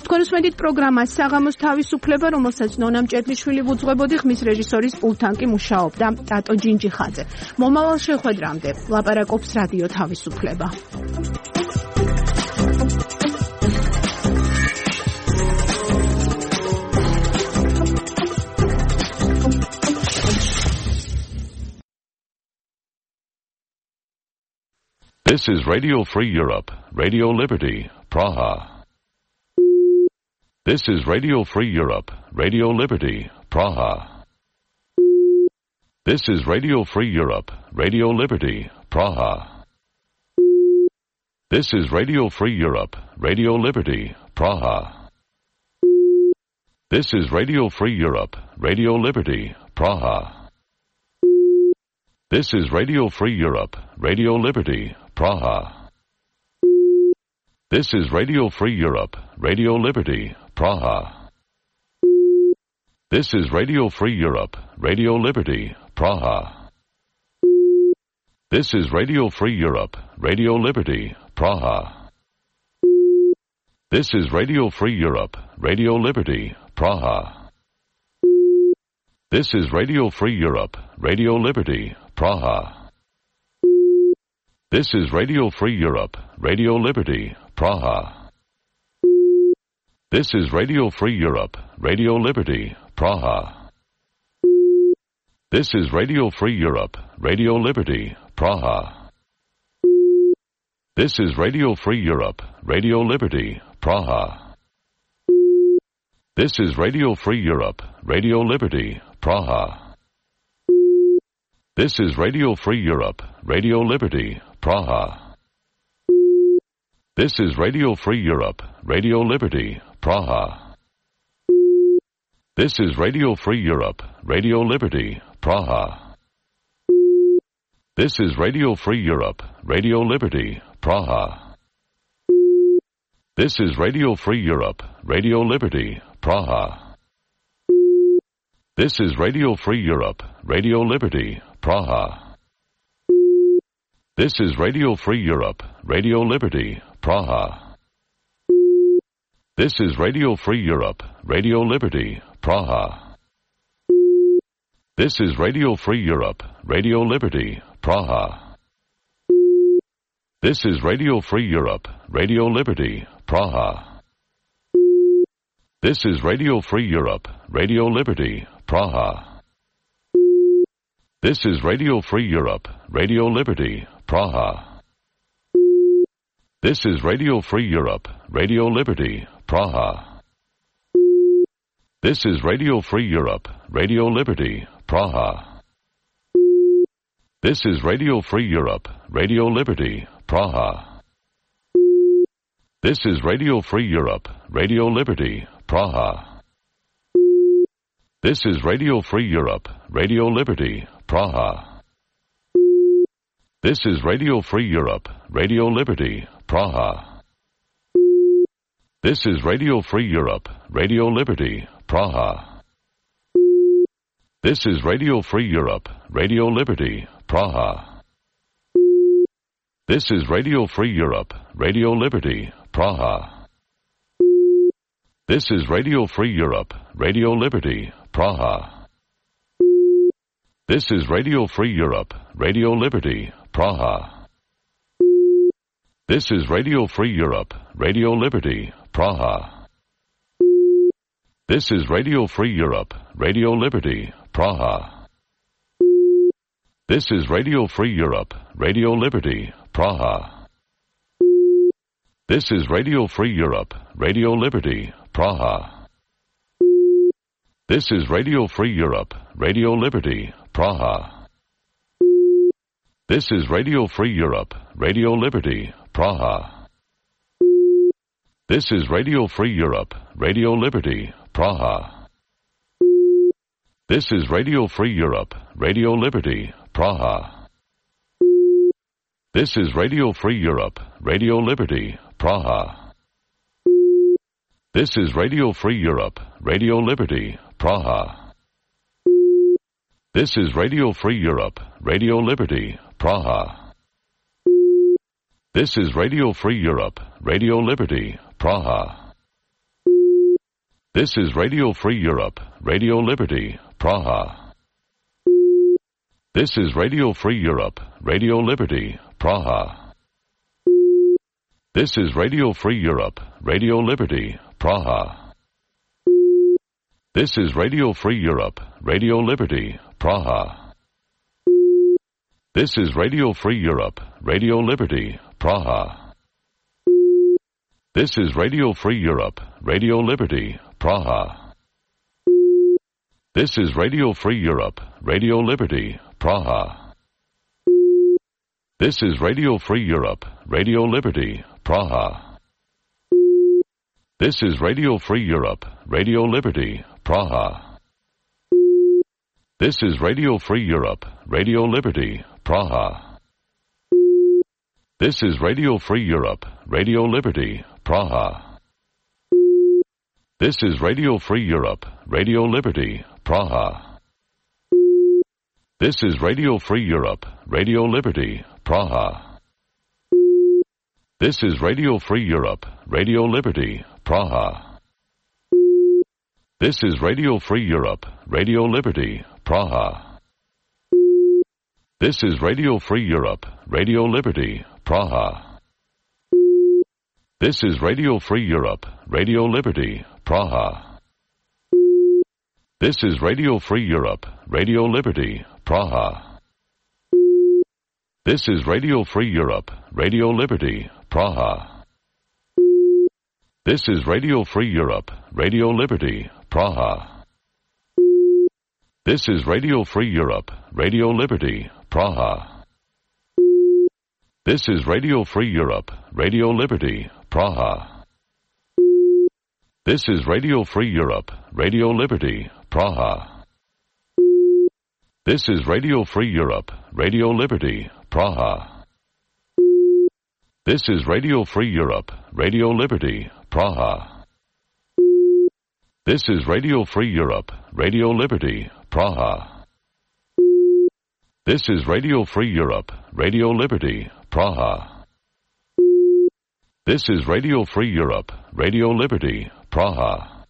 თქვენ უსმენთ პროგრამას საღამოს თავისუფლება, რომელსაც ნონა მჭედლიშვილი ვუძღვებოდი, ხმის რეჟისორის პულტთან კი მუშაობდა ტატო ჯინჯიხაძე. მომავალ შეხვედრამდე ლაპარაკობს რადიო თავისუფლება. This is Radio Free Europe, Radio Liberty, Praha. This is Radio Free Europe, Radio Liberty, Praha. This is Radio Free Europe, Radio Liberty, Praha. This is Radio Free Europe, Radio Liberty, Praha. This is Radio Free Europe, Radio Liberty, Praha. This is Radio Free Europe, Radio Liberty, Praha. This is Radio Free Europe, Radio Liberty, Praha. This is Radio Free Europe, Radio Liberty, Praha. This is Radio Free Europe, Radio Liberty, Praha. This is Radio Free Europe, Radio Liberty, Praha. This is Radio Free Europe, Radio Liberty, Praha. This is Radio Free Europe, Radio Liberty, Praha. This is Radio Free Europe, Radio Liberty, Praha. This is Radio Free Europe, Radio Liberty, Praha. This is Radio Free Europe, Radio Liberty, Praha. This is Radio Free Europe, Radio Liberty, Praha. This is Radio Free Europe, Radio Liberty, Praha. This is Radio Free Europe, Radio Liberty, Praha. This is Radio Free Europe, Radio Liberty, Praha. This is Radio Free Europe, Radio Liberty, Praha. This is Radio Free Europe, Radio Liberty, Praha. This is Radio Free Europe, Radio Liberty, Praha. This is Radio Free Europe, Radio Liberty, Praha. This is Radio Free Europe, Radio Liberty, Praha. This is Radio Free Europe, Radio Liberty, Praha. This is Radio Free Europe, Radio Liberty, Praha. This is Radio Free Europe, Radio Liberty, Praha. This is Radio Free Europe, Radio Liberty, Praha. This is Radio Free Europe, Radio Liberty, Praha. This is Radio Free Europe, Radio Liberty, Praha. This is Radio Free Europe, Radio Liberty, Praha. This is Radio Free Europe, Radio Liberty, Praha. This is Radio Free Europe, Radio Liberty, Praha. This is Radio Free Europe, Radio Liberty, Praha. This is Radio Free Europe, Radio Liberty, Praha. This is Radio Free Europe, Radio Liberty, Praha. This is Radio Free Europe, Radio Liberty, Praha. This is Radio Free Europe, Radio Liberty, Praha. This is Radio Free Europe, Radio Liberty, Praha. This is Radio Free Europe, Radio Liberty, Praha. This is Radio Free Europe, Radio Liberty, Praha. This is Radio Free Europe, Radio Liberty, Praha. This is Radio Free Europe, Radio Liberty, Praha. This is Radio Free Europe, Radio Liberty, Praha. This is Radio Free Europe, Radio Liberty, Praha. This is Radio Free Europe, Radio Liberty, Praha. This is Radio Free Europe, Radio Liberty, Praha. This is Radio Free Europe, Radio Liberty, Praha. This is Radio Free Europe, Radio Liberty, Praha. This is Radio Free Europe, Radio Liberty, Praha. This is Radio Free Europe, Radio Liberty, Praha. This is Radio Free Europe, Radio Liberty, Praha. This is Radio Free Europe, Radio Liberty, Praha. This is Radio Free Europe, Radio Liberty, Praha. This is Radio Free Europe, Radio Liberty, Praha. This is Radio Free Europe, Radio Liberty, Praha. This is Radio Free Europe, Radio Liberty, Praha. This is Radio Free Europe, Radio Liberty, Praha. This is Radio Free Europe, Radio Liberty, Praha. This is Radio Free Europe, Radio Liberty, Praha. This is Radio Free Europe, Radio Liberty, Praha. This is Radio Free Europe, Radio Liberty, Praha. This is Radio Free Europe, Radio Liberty, Praha. This is Radio Free Europe, Radio Liberty, Praha. This is Radio Free Europe, Radio Liberty, Praha. This is Radio Free Europe, Radio Liberty, Praha. This is Radio Free Europe, Radio Liberty, Praha. This is Radio Free Europe, Radio Liberty, Praha. This is Radio Free Europe, Radio Liberty, Praha. This is Radio Free Europe, Radio Liberty, Praha. This is Radio Free Europe, Radio Liberty, Praha. This is Radio Free Europe, Radio Liberty, Praha. This is Radio Free Europe, Radio Liberty, Praha. This is Radio Free Europe, Radio Liberty, Praha. This is Radio Free Europe, Radio Liberty, Praha. This is Radio Free Europe, Radio Liberty, Praha. This is Radio Free Europe, Radio Liberty, Praha. This is Radio Free Europe, Radio Liberty, Praha. This is Radio Free Europe, Radio Liberty, Praha.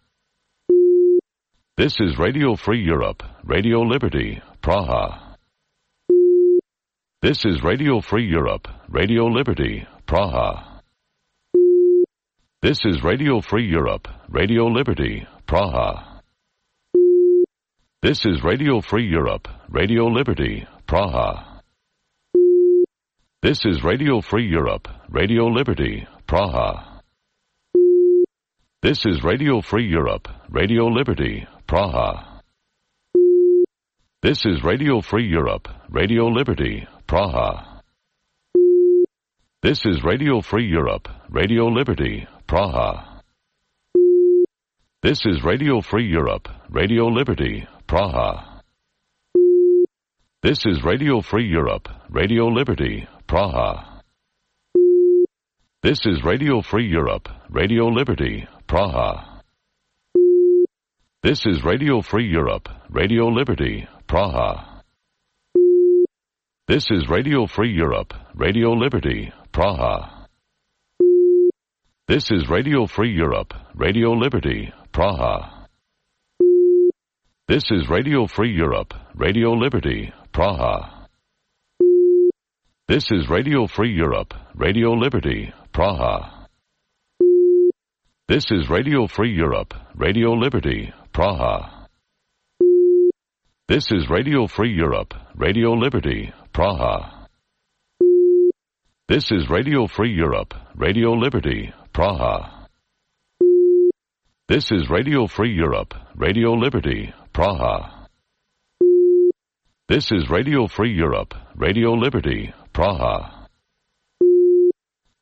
This is Radio Free Europe, Radio Liberty, Praha. This is Radio Free Europe, Radio Liberty, Praha. This is Radio Free Europe, Radio Liberty, Praha. This is Radio Free Europe, Radio Liberty, Praha. This is Radio Free Europe, Radio Liberty, Praha. This is Radio Free Europe, Radio Liberty, Praha. This is Radio Free Europe, Radio Liberty, Praha. This is Radio Free Europe, Radio Liberty, Praha. This is Radio Free Europe, Radio Liberty, Praha. This is Radio Free Europe, Radio Liberty, Praha. This is Radio Free Europe, Radio Liberty, Praha. This is Radio Free Europe, Radio Liberty, Praha. This is Radio Free Europe, Radio Liberty, Praha. This is Radio Free Europe, Radio Liberty, Praha. This is Radio Free Europe, Radio Liberty, Praha. This is Radio Free Europe, Radio Liberty, Praha. This is Radio Free Europe, Radio Liberty, Praha. This is Radio Free Europe, Radio Liberty, Praha. This is Radio Free Europe, Radio Liberty, Praha. This is Radio Free Europe, Radio Liberty, Praha. This is Radio Free Europe, Radio Liberty, Praha.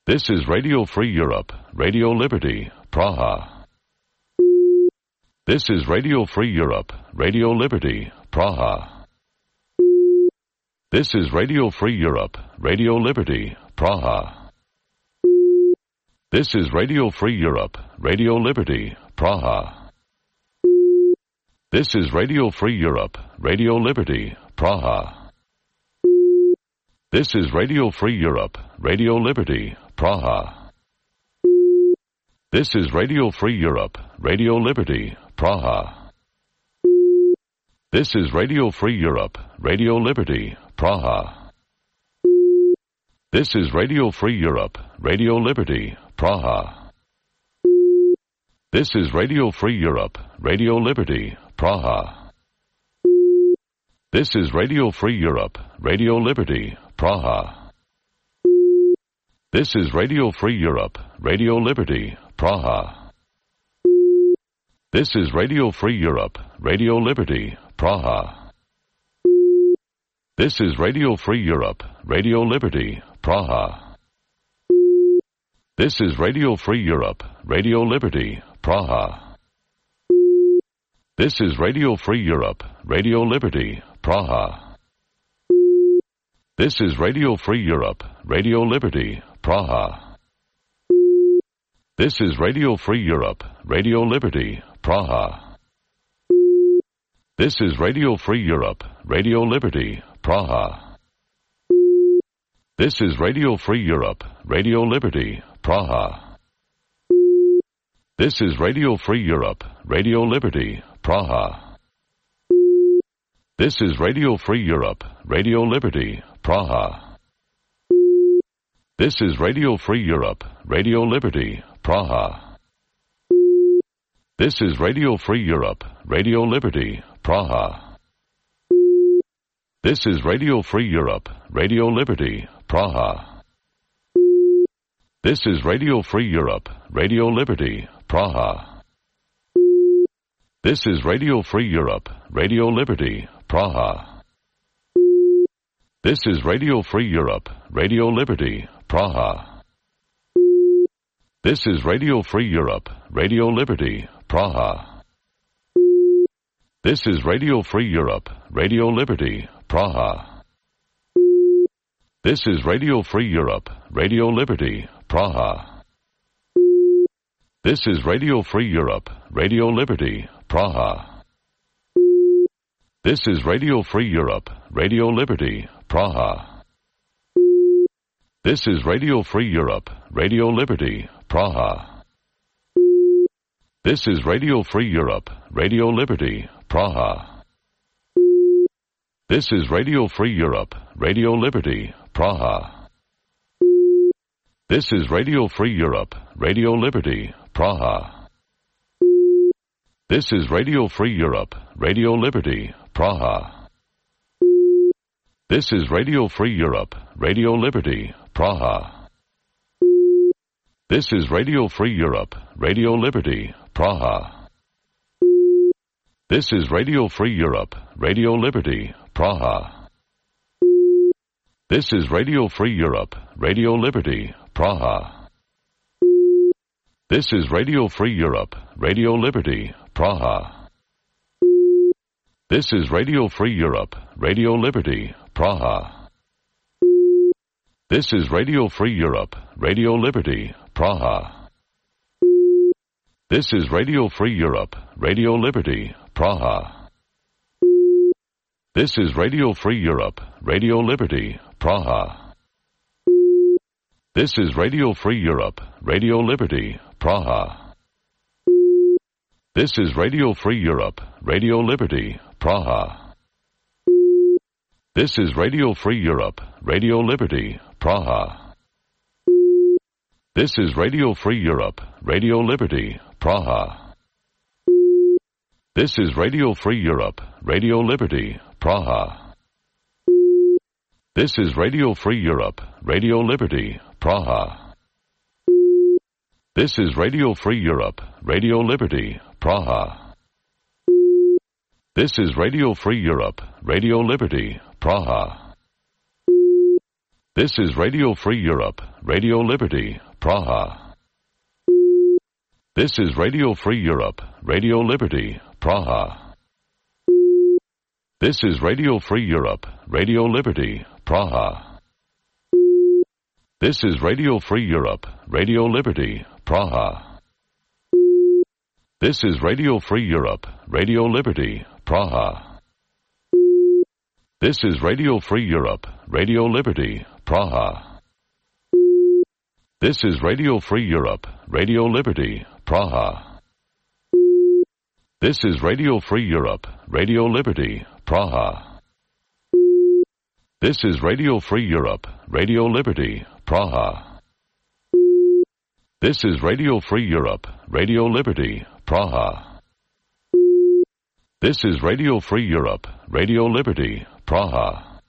This is Radio Free Europe, Radio Liberty, Praha. This is Radio Free Europe, Radio Liberty, Praha. This is Radio Free Europe, Radio Liberty, Praha. This is Radio Free Europe, Radio Liberty, Praha. This is Radio Free Europe, Radio Liberty, Praha. This is Radio Free Europe, Radio Liberty, Praha. This is Radio Free Europe, Radio Liberty, Praha. This is Radio Free Europe, Radio Liberty, Praha. This is Radio Free Europe, Radio Liberty, Praha. This is Radio Free Europe, Radio Liberty, Praha. This is Radio Free Europe, Radio Liberty, Praha. This is Radio Free Europe, Radio Liberty, Praha. This is Radio Free Europe, Radio Liberty, Praha. This is Radio Free Europe, Radio Liberty, Praha. This is Radio Free Europe, Radio Liberty, Praha. This is Radio Free Europe, Radio Liberty, Praha. This is Radio Free Europe, Radio Liberty, Praha. This is Radio Free Europe, Radio Liberty, Praha. This is Radio Free Europe, Radio Liberty, Praha. This is Radio Free Europe, Radio Liberty, Praha. This is Radio Free Europe, Radio Liberty, Praha. This is Radio Free Europe, Radio Liberty, Praha. This is Radio Free Europe, Radio Liberty, Praha. This is Radio Free Europe, Radio Liberty, Praha. This is Radio Free Europe, Radio Liberty, Praha. This is Radio Free Europe, Radio Liberty, Praha. This is Radio Free Europe, Radio Liberty, Praha. This is Radio Free Europe, Radio Liberty, Praha. This is Radio Free Europe, Radio Liberty, Praha. This is Radio Free Europe, Radio Liberty, Praha. This is Radio Free Europe, Radio Liberty, Praha. This is Radio Free Europe, Radio Liberty, Praha. This is Radio Free Europe, Radio Liberty, Praha. This is Radio Free Europe, Radio Liberty, Praha. This is Radio Free Europe, Radio Liberty, Praha. This is Radio Free Europe, Radio Liberty, Praha. This is Radio Free Europe, Radio Liberty, Praha. This is Radio Free Europe, Radio Liberty, Praha. This is Radio Free Europe, Radio Liberty, Praha. This is Radio Free Europe, Radio Liberty, Praha. This is Radio Free Europe, Radio Liberty, Praha. This is Radio Free Europe, Radio Liberty, Praha. This is Radio Free Europe, Radio Liberty, Praha. This is Radio Free Europe, Radio Liberty, Praha. This is Radio Free Europe, Radio Liberty, Praha. This is Radio Free Europe, Radio Liberty, Praha. This is Radio Free Europe, Radio Liberty, Praha. This is Radio Free Europe, Radio Liberty, Praha. This is Radio Free Europe, Radio Liberty, Praha. This is Radio Free Europe, Radio Liberty, Praha. This is Radio Free Europe, Radio Liberty, Praha. This is Radio Free Europe, Radio Liberty, Praha. This is Radio Free Europe, Radio Liberty, Praha. This is Radio Free Europe, Radio Liberty, Praha. This is Radio Free Europe, Radio Liberty, Praha. This is Radio Free Europe, Radio Liberty, Praha. This is Radio Free Europe, Radio Liberty, Praha. This is Radio Free Europe, Radio Liberty, Praha. This is Radio Free Europe, Radio Liberty, Praha. This is Radio Free Europe, Radio Liberty, Praha. This is Radio Free Europe, Radio Liberty, Praha. This is Radio Free Europe, Radio Liberty, Praha. This is Radio Free Europe, Radio Liberty, Praha. This is Radio Free Europe, Radio Liberty, Praha. This is Radio Free Europe, Radio Liberty, Praha. This is Radio Free Europe, Radio Liberty, Praha.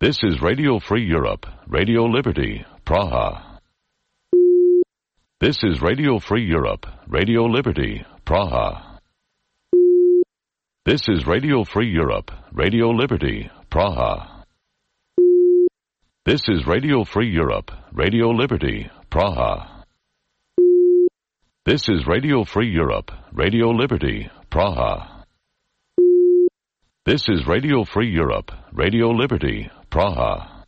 This is Radio Free Europe, Radio Liberty, Praha. This is Radio Free Europe, Radio Liberty, Praha. This is Radio Free Europe, Radio Liberty, Praha. This is Radio Free Europe, Radio Liberty, Praha. This is Radio Free Europe, Radio Liberty, Praha. This is Radio Free Europe, Radio Liberty, Praha.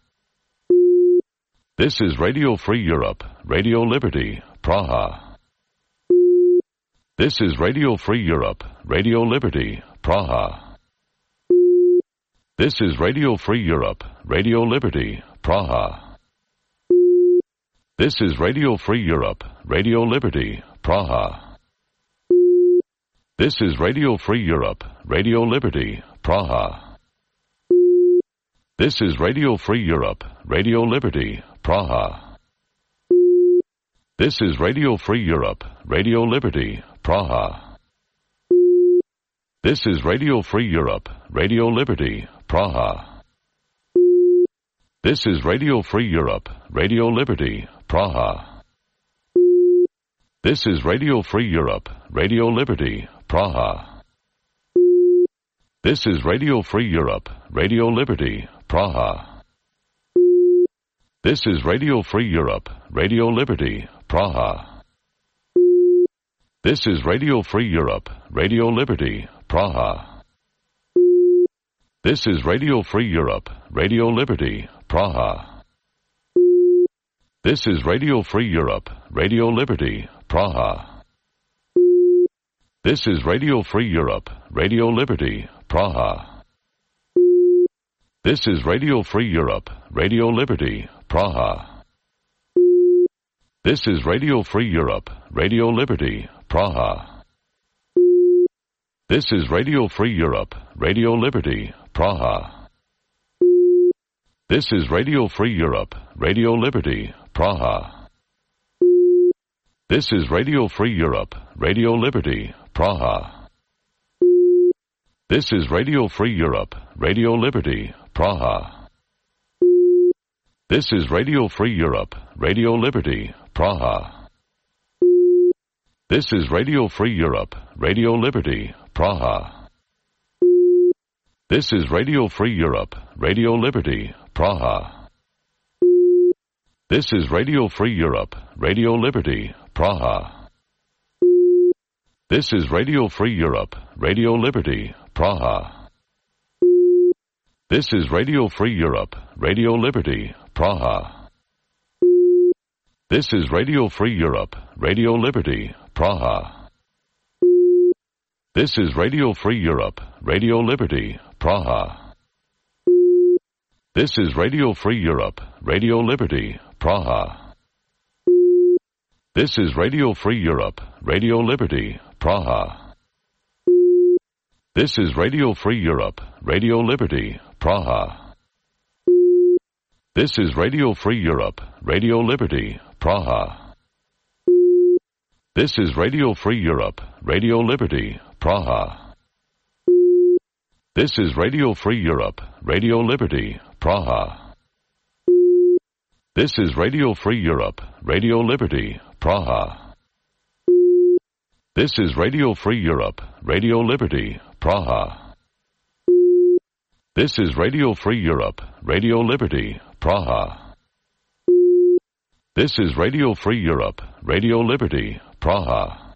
This is Radio Free Europe, Radio Liberty, Praha. This is Radio Free Europe, Radio Liberty, Praha. This is Radio Free Europe, Radio Liberty, Praha. This is Radio Free Europe, Radio Liberty, Praha. This is Radio Free Europe, Radio Liberty, Praha. This is Radio Free Europe, Radio Liberty, Praha. This is Radio Free Europe, Radio Liberty, Praha. This is Radio Free Europe, Radio Liberty, Praha. This is Radio Free Europe, Radio Liberty, Praha. This is Radio Free Europe, Radio Liberty, Praha. This is Radio Free Europe, Radio Liberty, Praha. This is Radio Free Europe, Radio Liberty, Praha. This is Radio Free Europe, Radio Liberty, Praha. This is Radio Free Europe, Radio Liberty, Praha. This is Radio Free Europe, Radio Liberty, Praha. This is Radio Free Europe, Radio Liberty, Praha. This is Radio Free Europe, Radio Liberty, Praha. This is Radio Free Europe, Radio Liberty, Praha. This is Radio Free Europe, Radio Liberty, Praha. This is Radio Free Europe, Radio Liberty, Praha. This is Radio Free Europe, Radio Liberty, Praha. This is Radio Free Europe, Radio Liberty, Praha. This is Radio Free Europe, Radio Liberty, Praha. This is Radio Free Europe, Radio Liberty, Praha. This is Radio Free Europe, Radio Liberty, Praha. This is Radio Free Europe, Radio Liberty, Praha. This is Radio Free Europe, Radio Liberty, Praha. This is Radio Free Europe, Radio Liberty, Praha. This is Radio Free Europe, Radio Liberty, Praha. This is Radio Free Europe, Radio Liberty, Praha. This is Radio Free Europe, Radio Liberty, Praha. This is Radio Free Europe, Radio Liberty, Praha. This is Radio Free Europe, Radio Liberty, Praha. This is Radio Free Europe, Radio Liberty, Praha. This is Radio Free Europe, Radio Liberty, Praha. This is Radio Free Europe, Radio Liberty, Praha. This is Radio Free Europe, Radio Liberty, Praha. This is Radio Free Europe, Radio Liberty, Praha. This is Radio Free Europe, Radio Liberty, Praha. This is Radio Free Europe, Radio Liberty, Praha.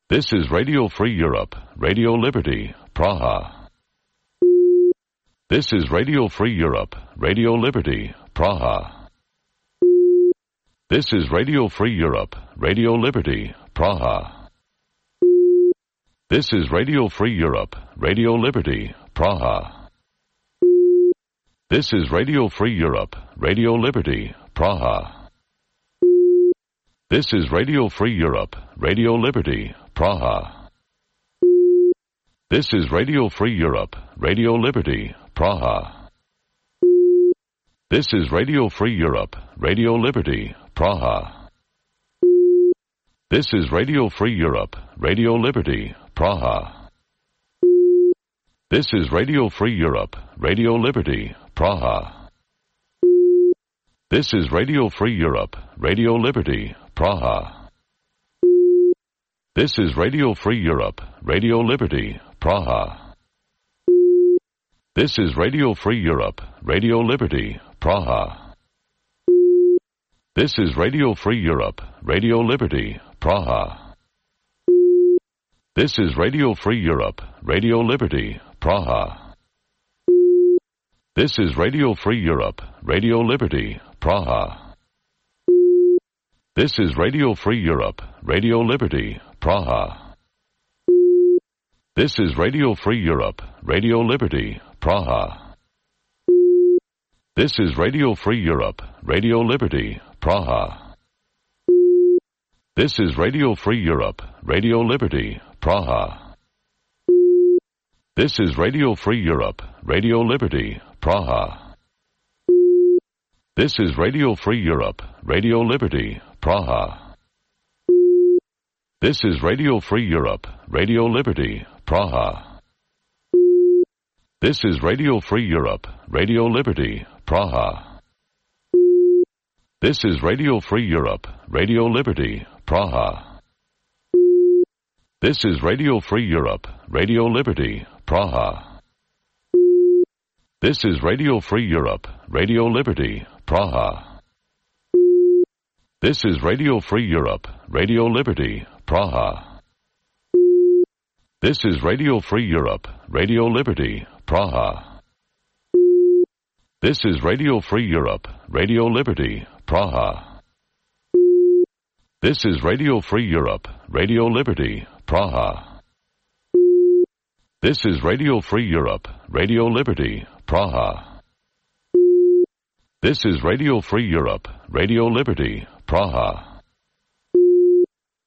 This is Radio Free Europe, Radio Liberty, Praha. This is Radio Free Europe, Radio Liberty, Praha. This is Radio Free Europe, Radio Liberty, Praha. This is Radio Free Europe, Radio Liberty, Praha. This is Radio Free Europe, Radio Liberty, Praha. This is Radio Free Europe, Radio Liberty, Praha. This is Radio Free Europe, Radio Liberty, Praha. This is Radio Free Europe, Radio Liberty, Praha. This is Radio Free Europe, Radio Liberty, Praha. This is Radio Free Europe, Radio Liberty, Praha. This is Radio Free Europe, Radio Liberty, Praha. This is Radio Free Europe, Radio Liberty, Praha. This is Radio Free Europe, Radio Liberty, Praha. This is Radio Free Europe, Radio Liberty, Praha. This is Radio Free Europe, Radio Liberty, Praha. This is Radio Free Europe, Radio Liberty, Praha. This is Radio Free Europe, Radio Liberty, Praha. This is Radio Free Europe, Radio Liberty, Praha. This is Radio Free Europe, Radio Liberty, Praha. This is Radio Free Europe, Radio Liberty, Praha. This is Radio Free Europe, Radio Liberty, Praha. This is Radio Free Europe, Radio Liberty, Praha. This is Radio Free Europe, Radio Liberty, Praha. This is Radio Free Europe, Radio Liberty, Praha. This is Radio Free Europe, Radio Liberty, Praha. This is Radio Free Europe, Radio Liberty, Praha. This is Radio Free Europe, Radio Liberty, Praha. This is Radio Free Europe, Radio Liberty, Praha. This is Radio Free Europe, Radio Liberty, Praha. This is Radio Free Europe, Radio Liberty, Praha. This is Radio Free Europe, Radio Liberty, Praha. This is Radio Free Europe, Radio Liberty, Praha. This is Radio Free Europe, Radio Liberty, Praha.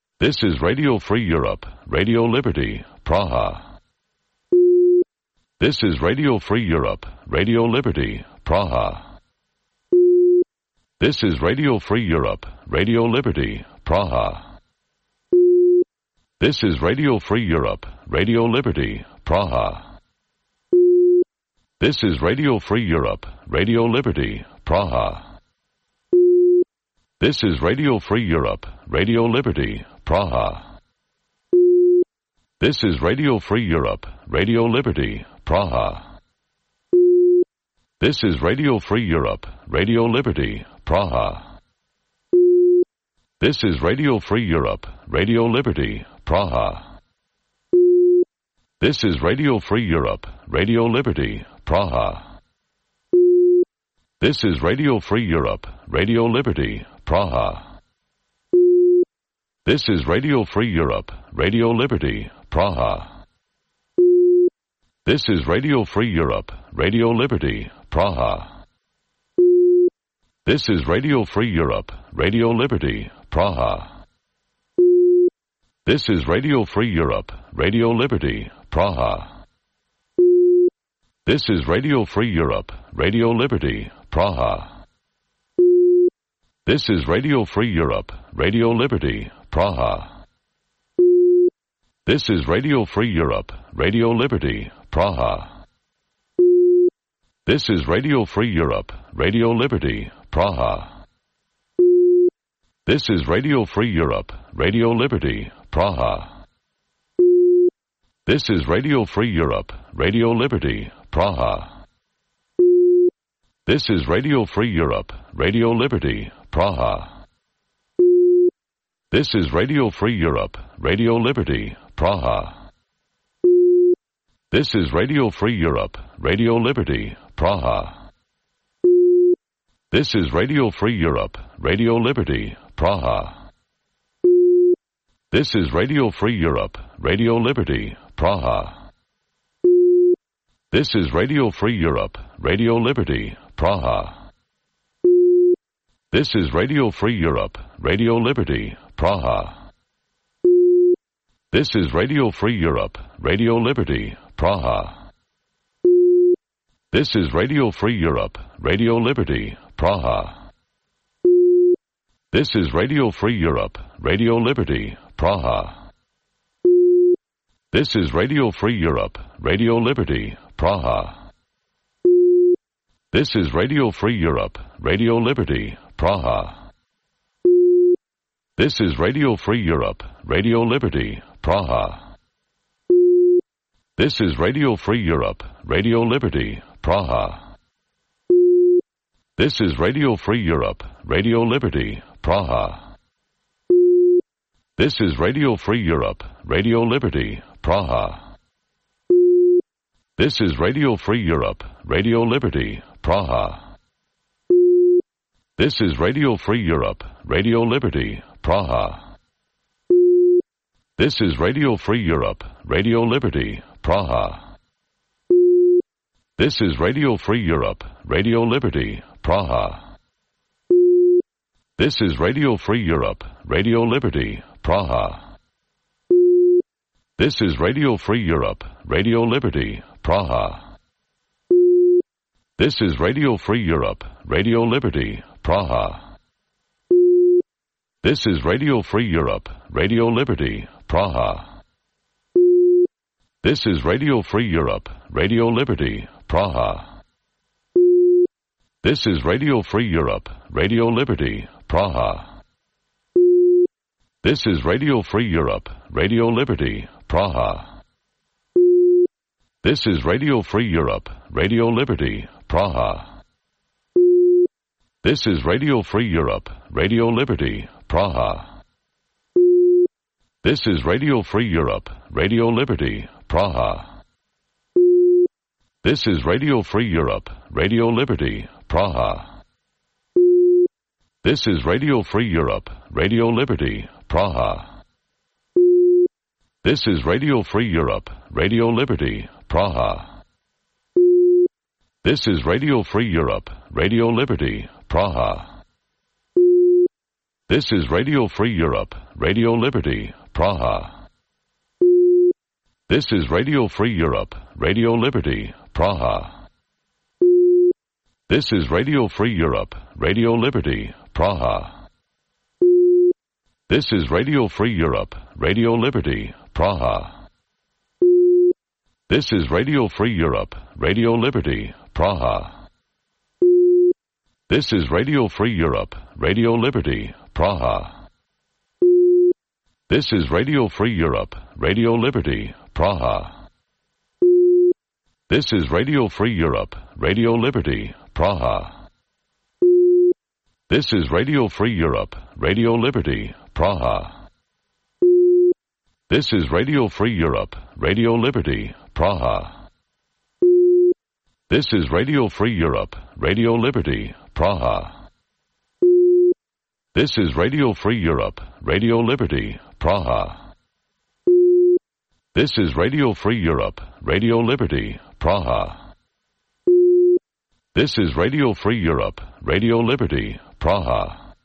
This is Radio Free Europe, Radio Liberty, Praha. This is Radio Free Europe, Radio Liberty, Praha. This is Radio Free Europe, Radio Liberty, Praha. This is Radio Free Europe, Radio Liberty, Praha. This is Radio Free Europe, Radio Liberty, Praha. This is Radio Free Europe, Radio Liberty, Praha. This is Radio Free Europe, Radio Liberty, Praha. This is Radio Free Europe, Radio Liberty, Praha. This is Radio Free Europe, Radio Liberty, Praha. This is Radio Free Europe, Radio Liberty, Praha. This is Radio Free Europe, Radio Liberty, Praha. This is Radio Free Europe, Radio Liberty, Praha. This is Radio Free Europe, Radio Liberty, Praha. This is Radio Free Europe, Radio Liberty, Praha. This is Radio Free Europe, Radio Liberty, Praha. This is Radio Free Europe, Radio Liberty, Praha. This is Radio Free Europe, Radio Liberty, Praha. This is Radio Free Europe, Radio Liberty, Praha. This is Radio Free Europe, Radio Liberty, Praha. This is Radio Free Europe, Radio Liberty, Praha. This is Radio Free Europe, Radio Liberty, Praha. This is Radio Free Europe, Radio Liberty, Praha. This is Radio Free Europe, Radio Liberty, Praha. This is Radio Free Europe, Radio Liberty, Praha. This is Radio Free Europe, Radio Liberty, Praha. This is Radio Free Europe, Radio Liberty, Praha. This is Radio Free Europe, Radio Liberty, Praha. This is Radio Free Europe, Radio Liberty, Praha. This is Radio Free Europe, Radio Liberty, Praha. This is Radio Free Europe, Radio Liberty, Praha. This is Radio Free Europe, Radio Liberty, Praha. This is Radio Free Europe, Radio Liberty, Praha. This is Radio Free Europe, Radio Liberty, Praha. This is Radio Free Europe, Radio Liberty, Praha. This is Radio Free Europe, Radio Liberty, Praha. This is Radio Free Europe, Radio Liberty, Praha. This is Radio Free Europe, Radio Liberty, Praha. This is Radio Free Europe, Radio Liberty, Praha. This is Radio Free Europe, Radio Liberty, Praha. This is Radio Free Europe, Radio Liberty, Praha. This is Radio Free Europe, Radio Liberty, Praha. This is Radio Free Europe, Radio Liberty, Praha. This is Radio Free Europe, Radio Liberty, Praha. This is Radio Free Europe, Radio Liberty, Praha. This is Radio Free Europe, Radio Liberty, Praha. This is Radio Free Europe, Radio Liberty, Praha. This is Radio Free Europe, Radio Liberty, Praha. This is Radio Free Europe, Radio Liberty, Praha. This is Radio Free Europe, Radio Liberty, Praha. This is Radio Free Europe, Radio Liberty, Praha. This is Radio Free Europe, Radio Liberty, Praha. This is Radio Free Europe, Radio Liberty, Praha. This is Radio Free Europe, Radio Liberty, Praha. This is Radio Free Europe, Radio Liberty, Praha. This is Radio Free Europe, Radio Liberty, Praha. This is Radio Free Europe, Radio Liberty, Praha. This is Radio Free Europe, Radio Liberty, Praha. This is Radio Free Europe, Radio Liberty, Praha. This is Radio Free Europe, Radio Liberty, Praha. This is Radio Free Europe, Radio Liberty, Praha. This is Radio Free Europe, Radio Liberty, Praha. This is Radio Free Europe, Radio Liberty, Praha. This is Radio Free Europe, Radio Liberty, Praha. This is Radio Free Europe, Radio Liberty, Praha. This is Radio Free Europe, Radio Liberty, Praha. This is Radio Free Europe, Radio Liberty, Praha. This is Radio Free Europe, Radio Liberty, Praha. This is Radio Free Europe, Radio Liberty, Praha. This is Radio Free Europe, Radio Liberty, Praha.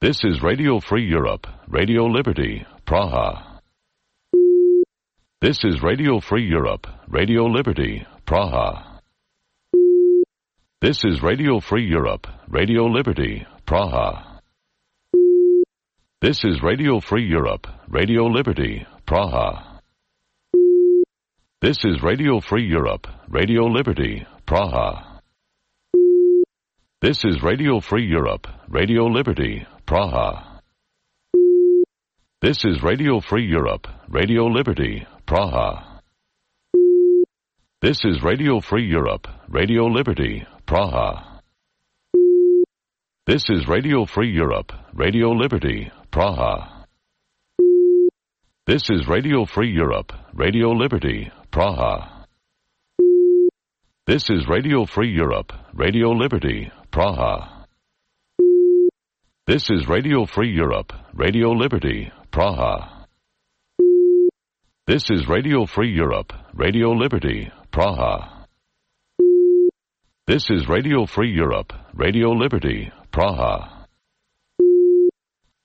This is Radio Free Europe, Radio Liberty, Praha. This is Radio Free Europe, Radio Liberty, Praha. This is Radio Free Europe, Radio Liberty, Praha. This is Radio Free Europe, Radio Liberty, Praha. This is Radio Free Europe, Radio Liberty, Praha. This is Radio Free Europe, Radio Liberty, Praha. This is Radio Free Europe, Radio Liberty, Praha. This is Radio Free Europe, Radio Liberty, Praha. This is Radio Free Europe, Radio Liberty, Praha. This is Radio Free Europe, Radio Liberty, Praha. This is Radio Free Europe, Radio Liberty, Praha. This is Radio Free Europe, Radio Liberty, Praha. This is Radio Free Europe, Radio Liberty, Praha. This is Radio Free Europe, Radio Liberty, Praha.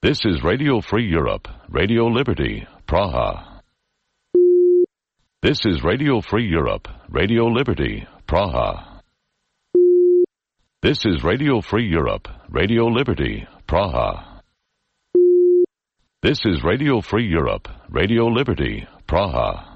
This is Radio Free Europe, Radio Liberty, Praha. This is Radio Free Europe, Radio Liberty, Praha. This is Radio Free Europe, Radio Liberty, Praha. This is Radio Free Europe, Radio Liberty, Praha.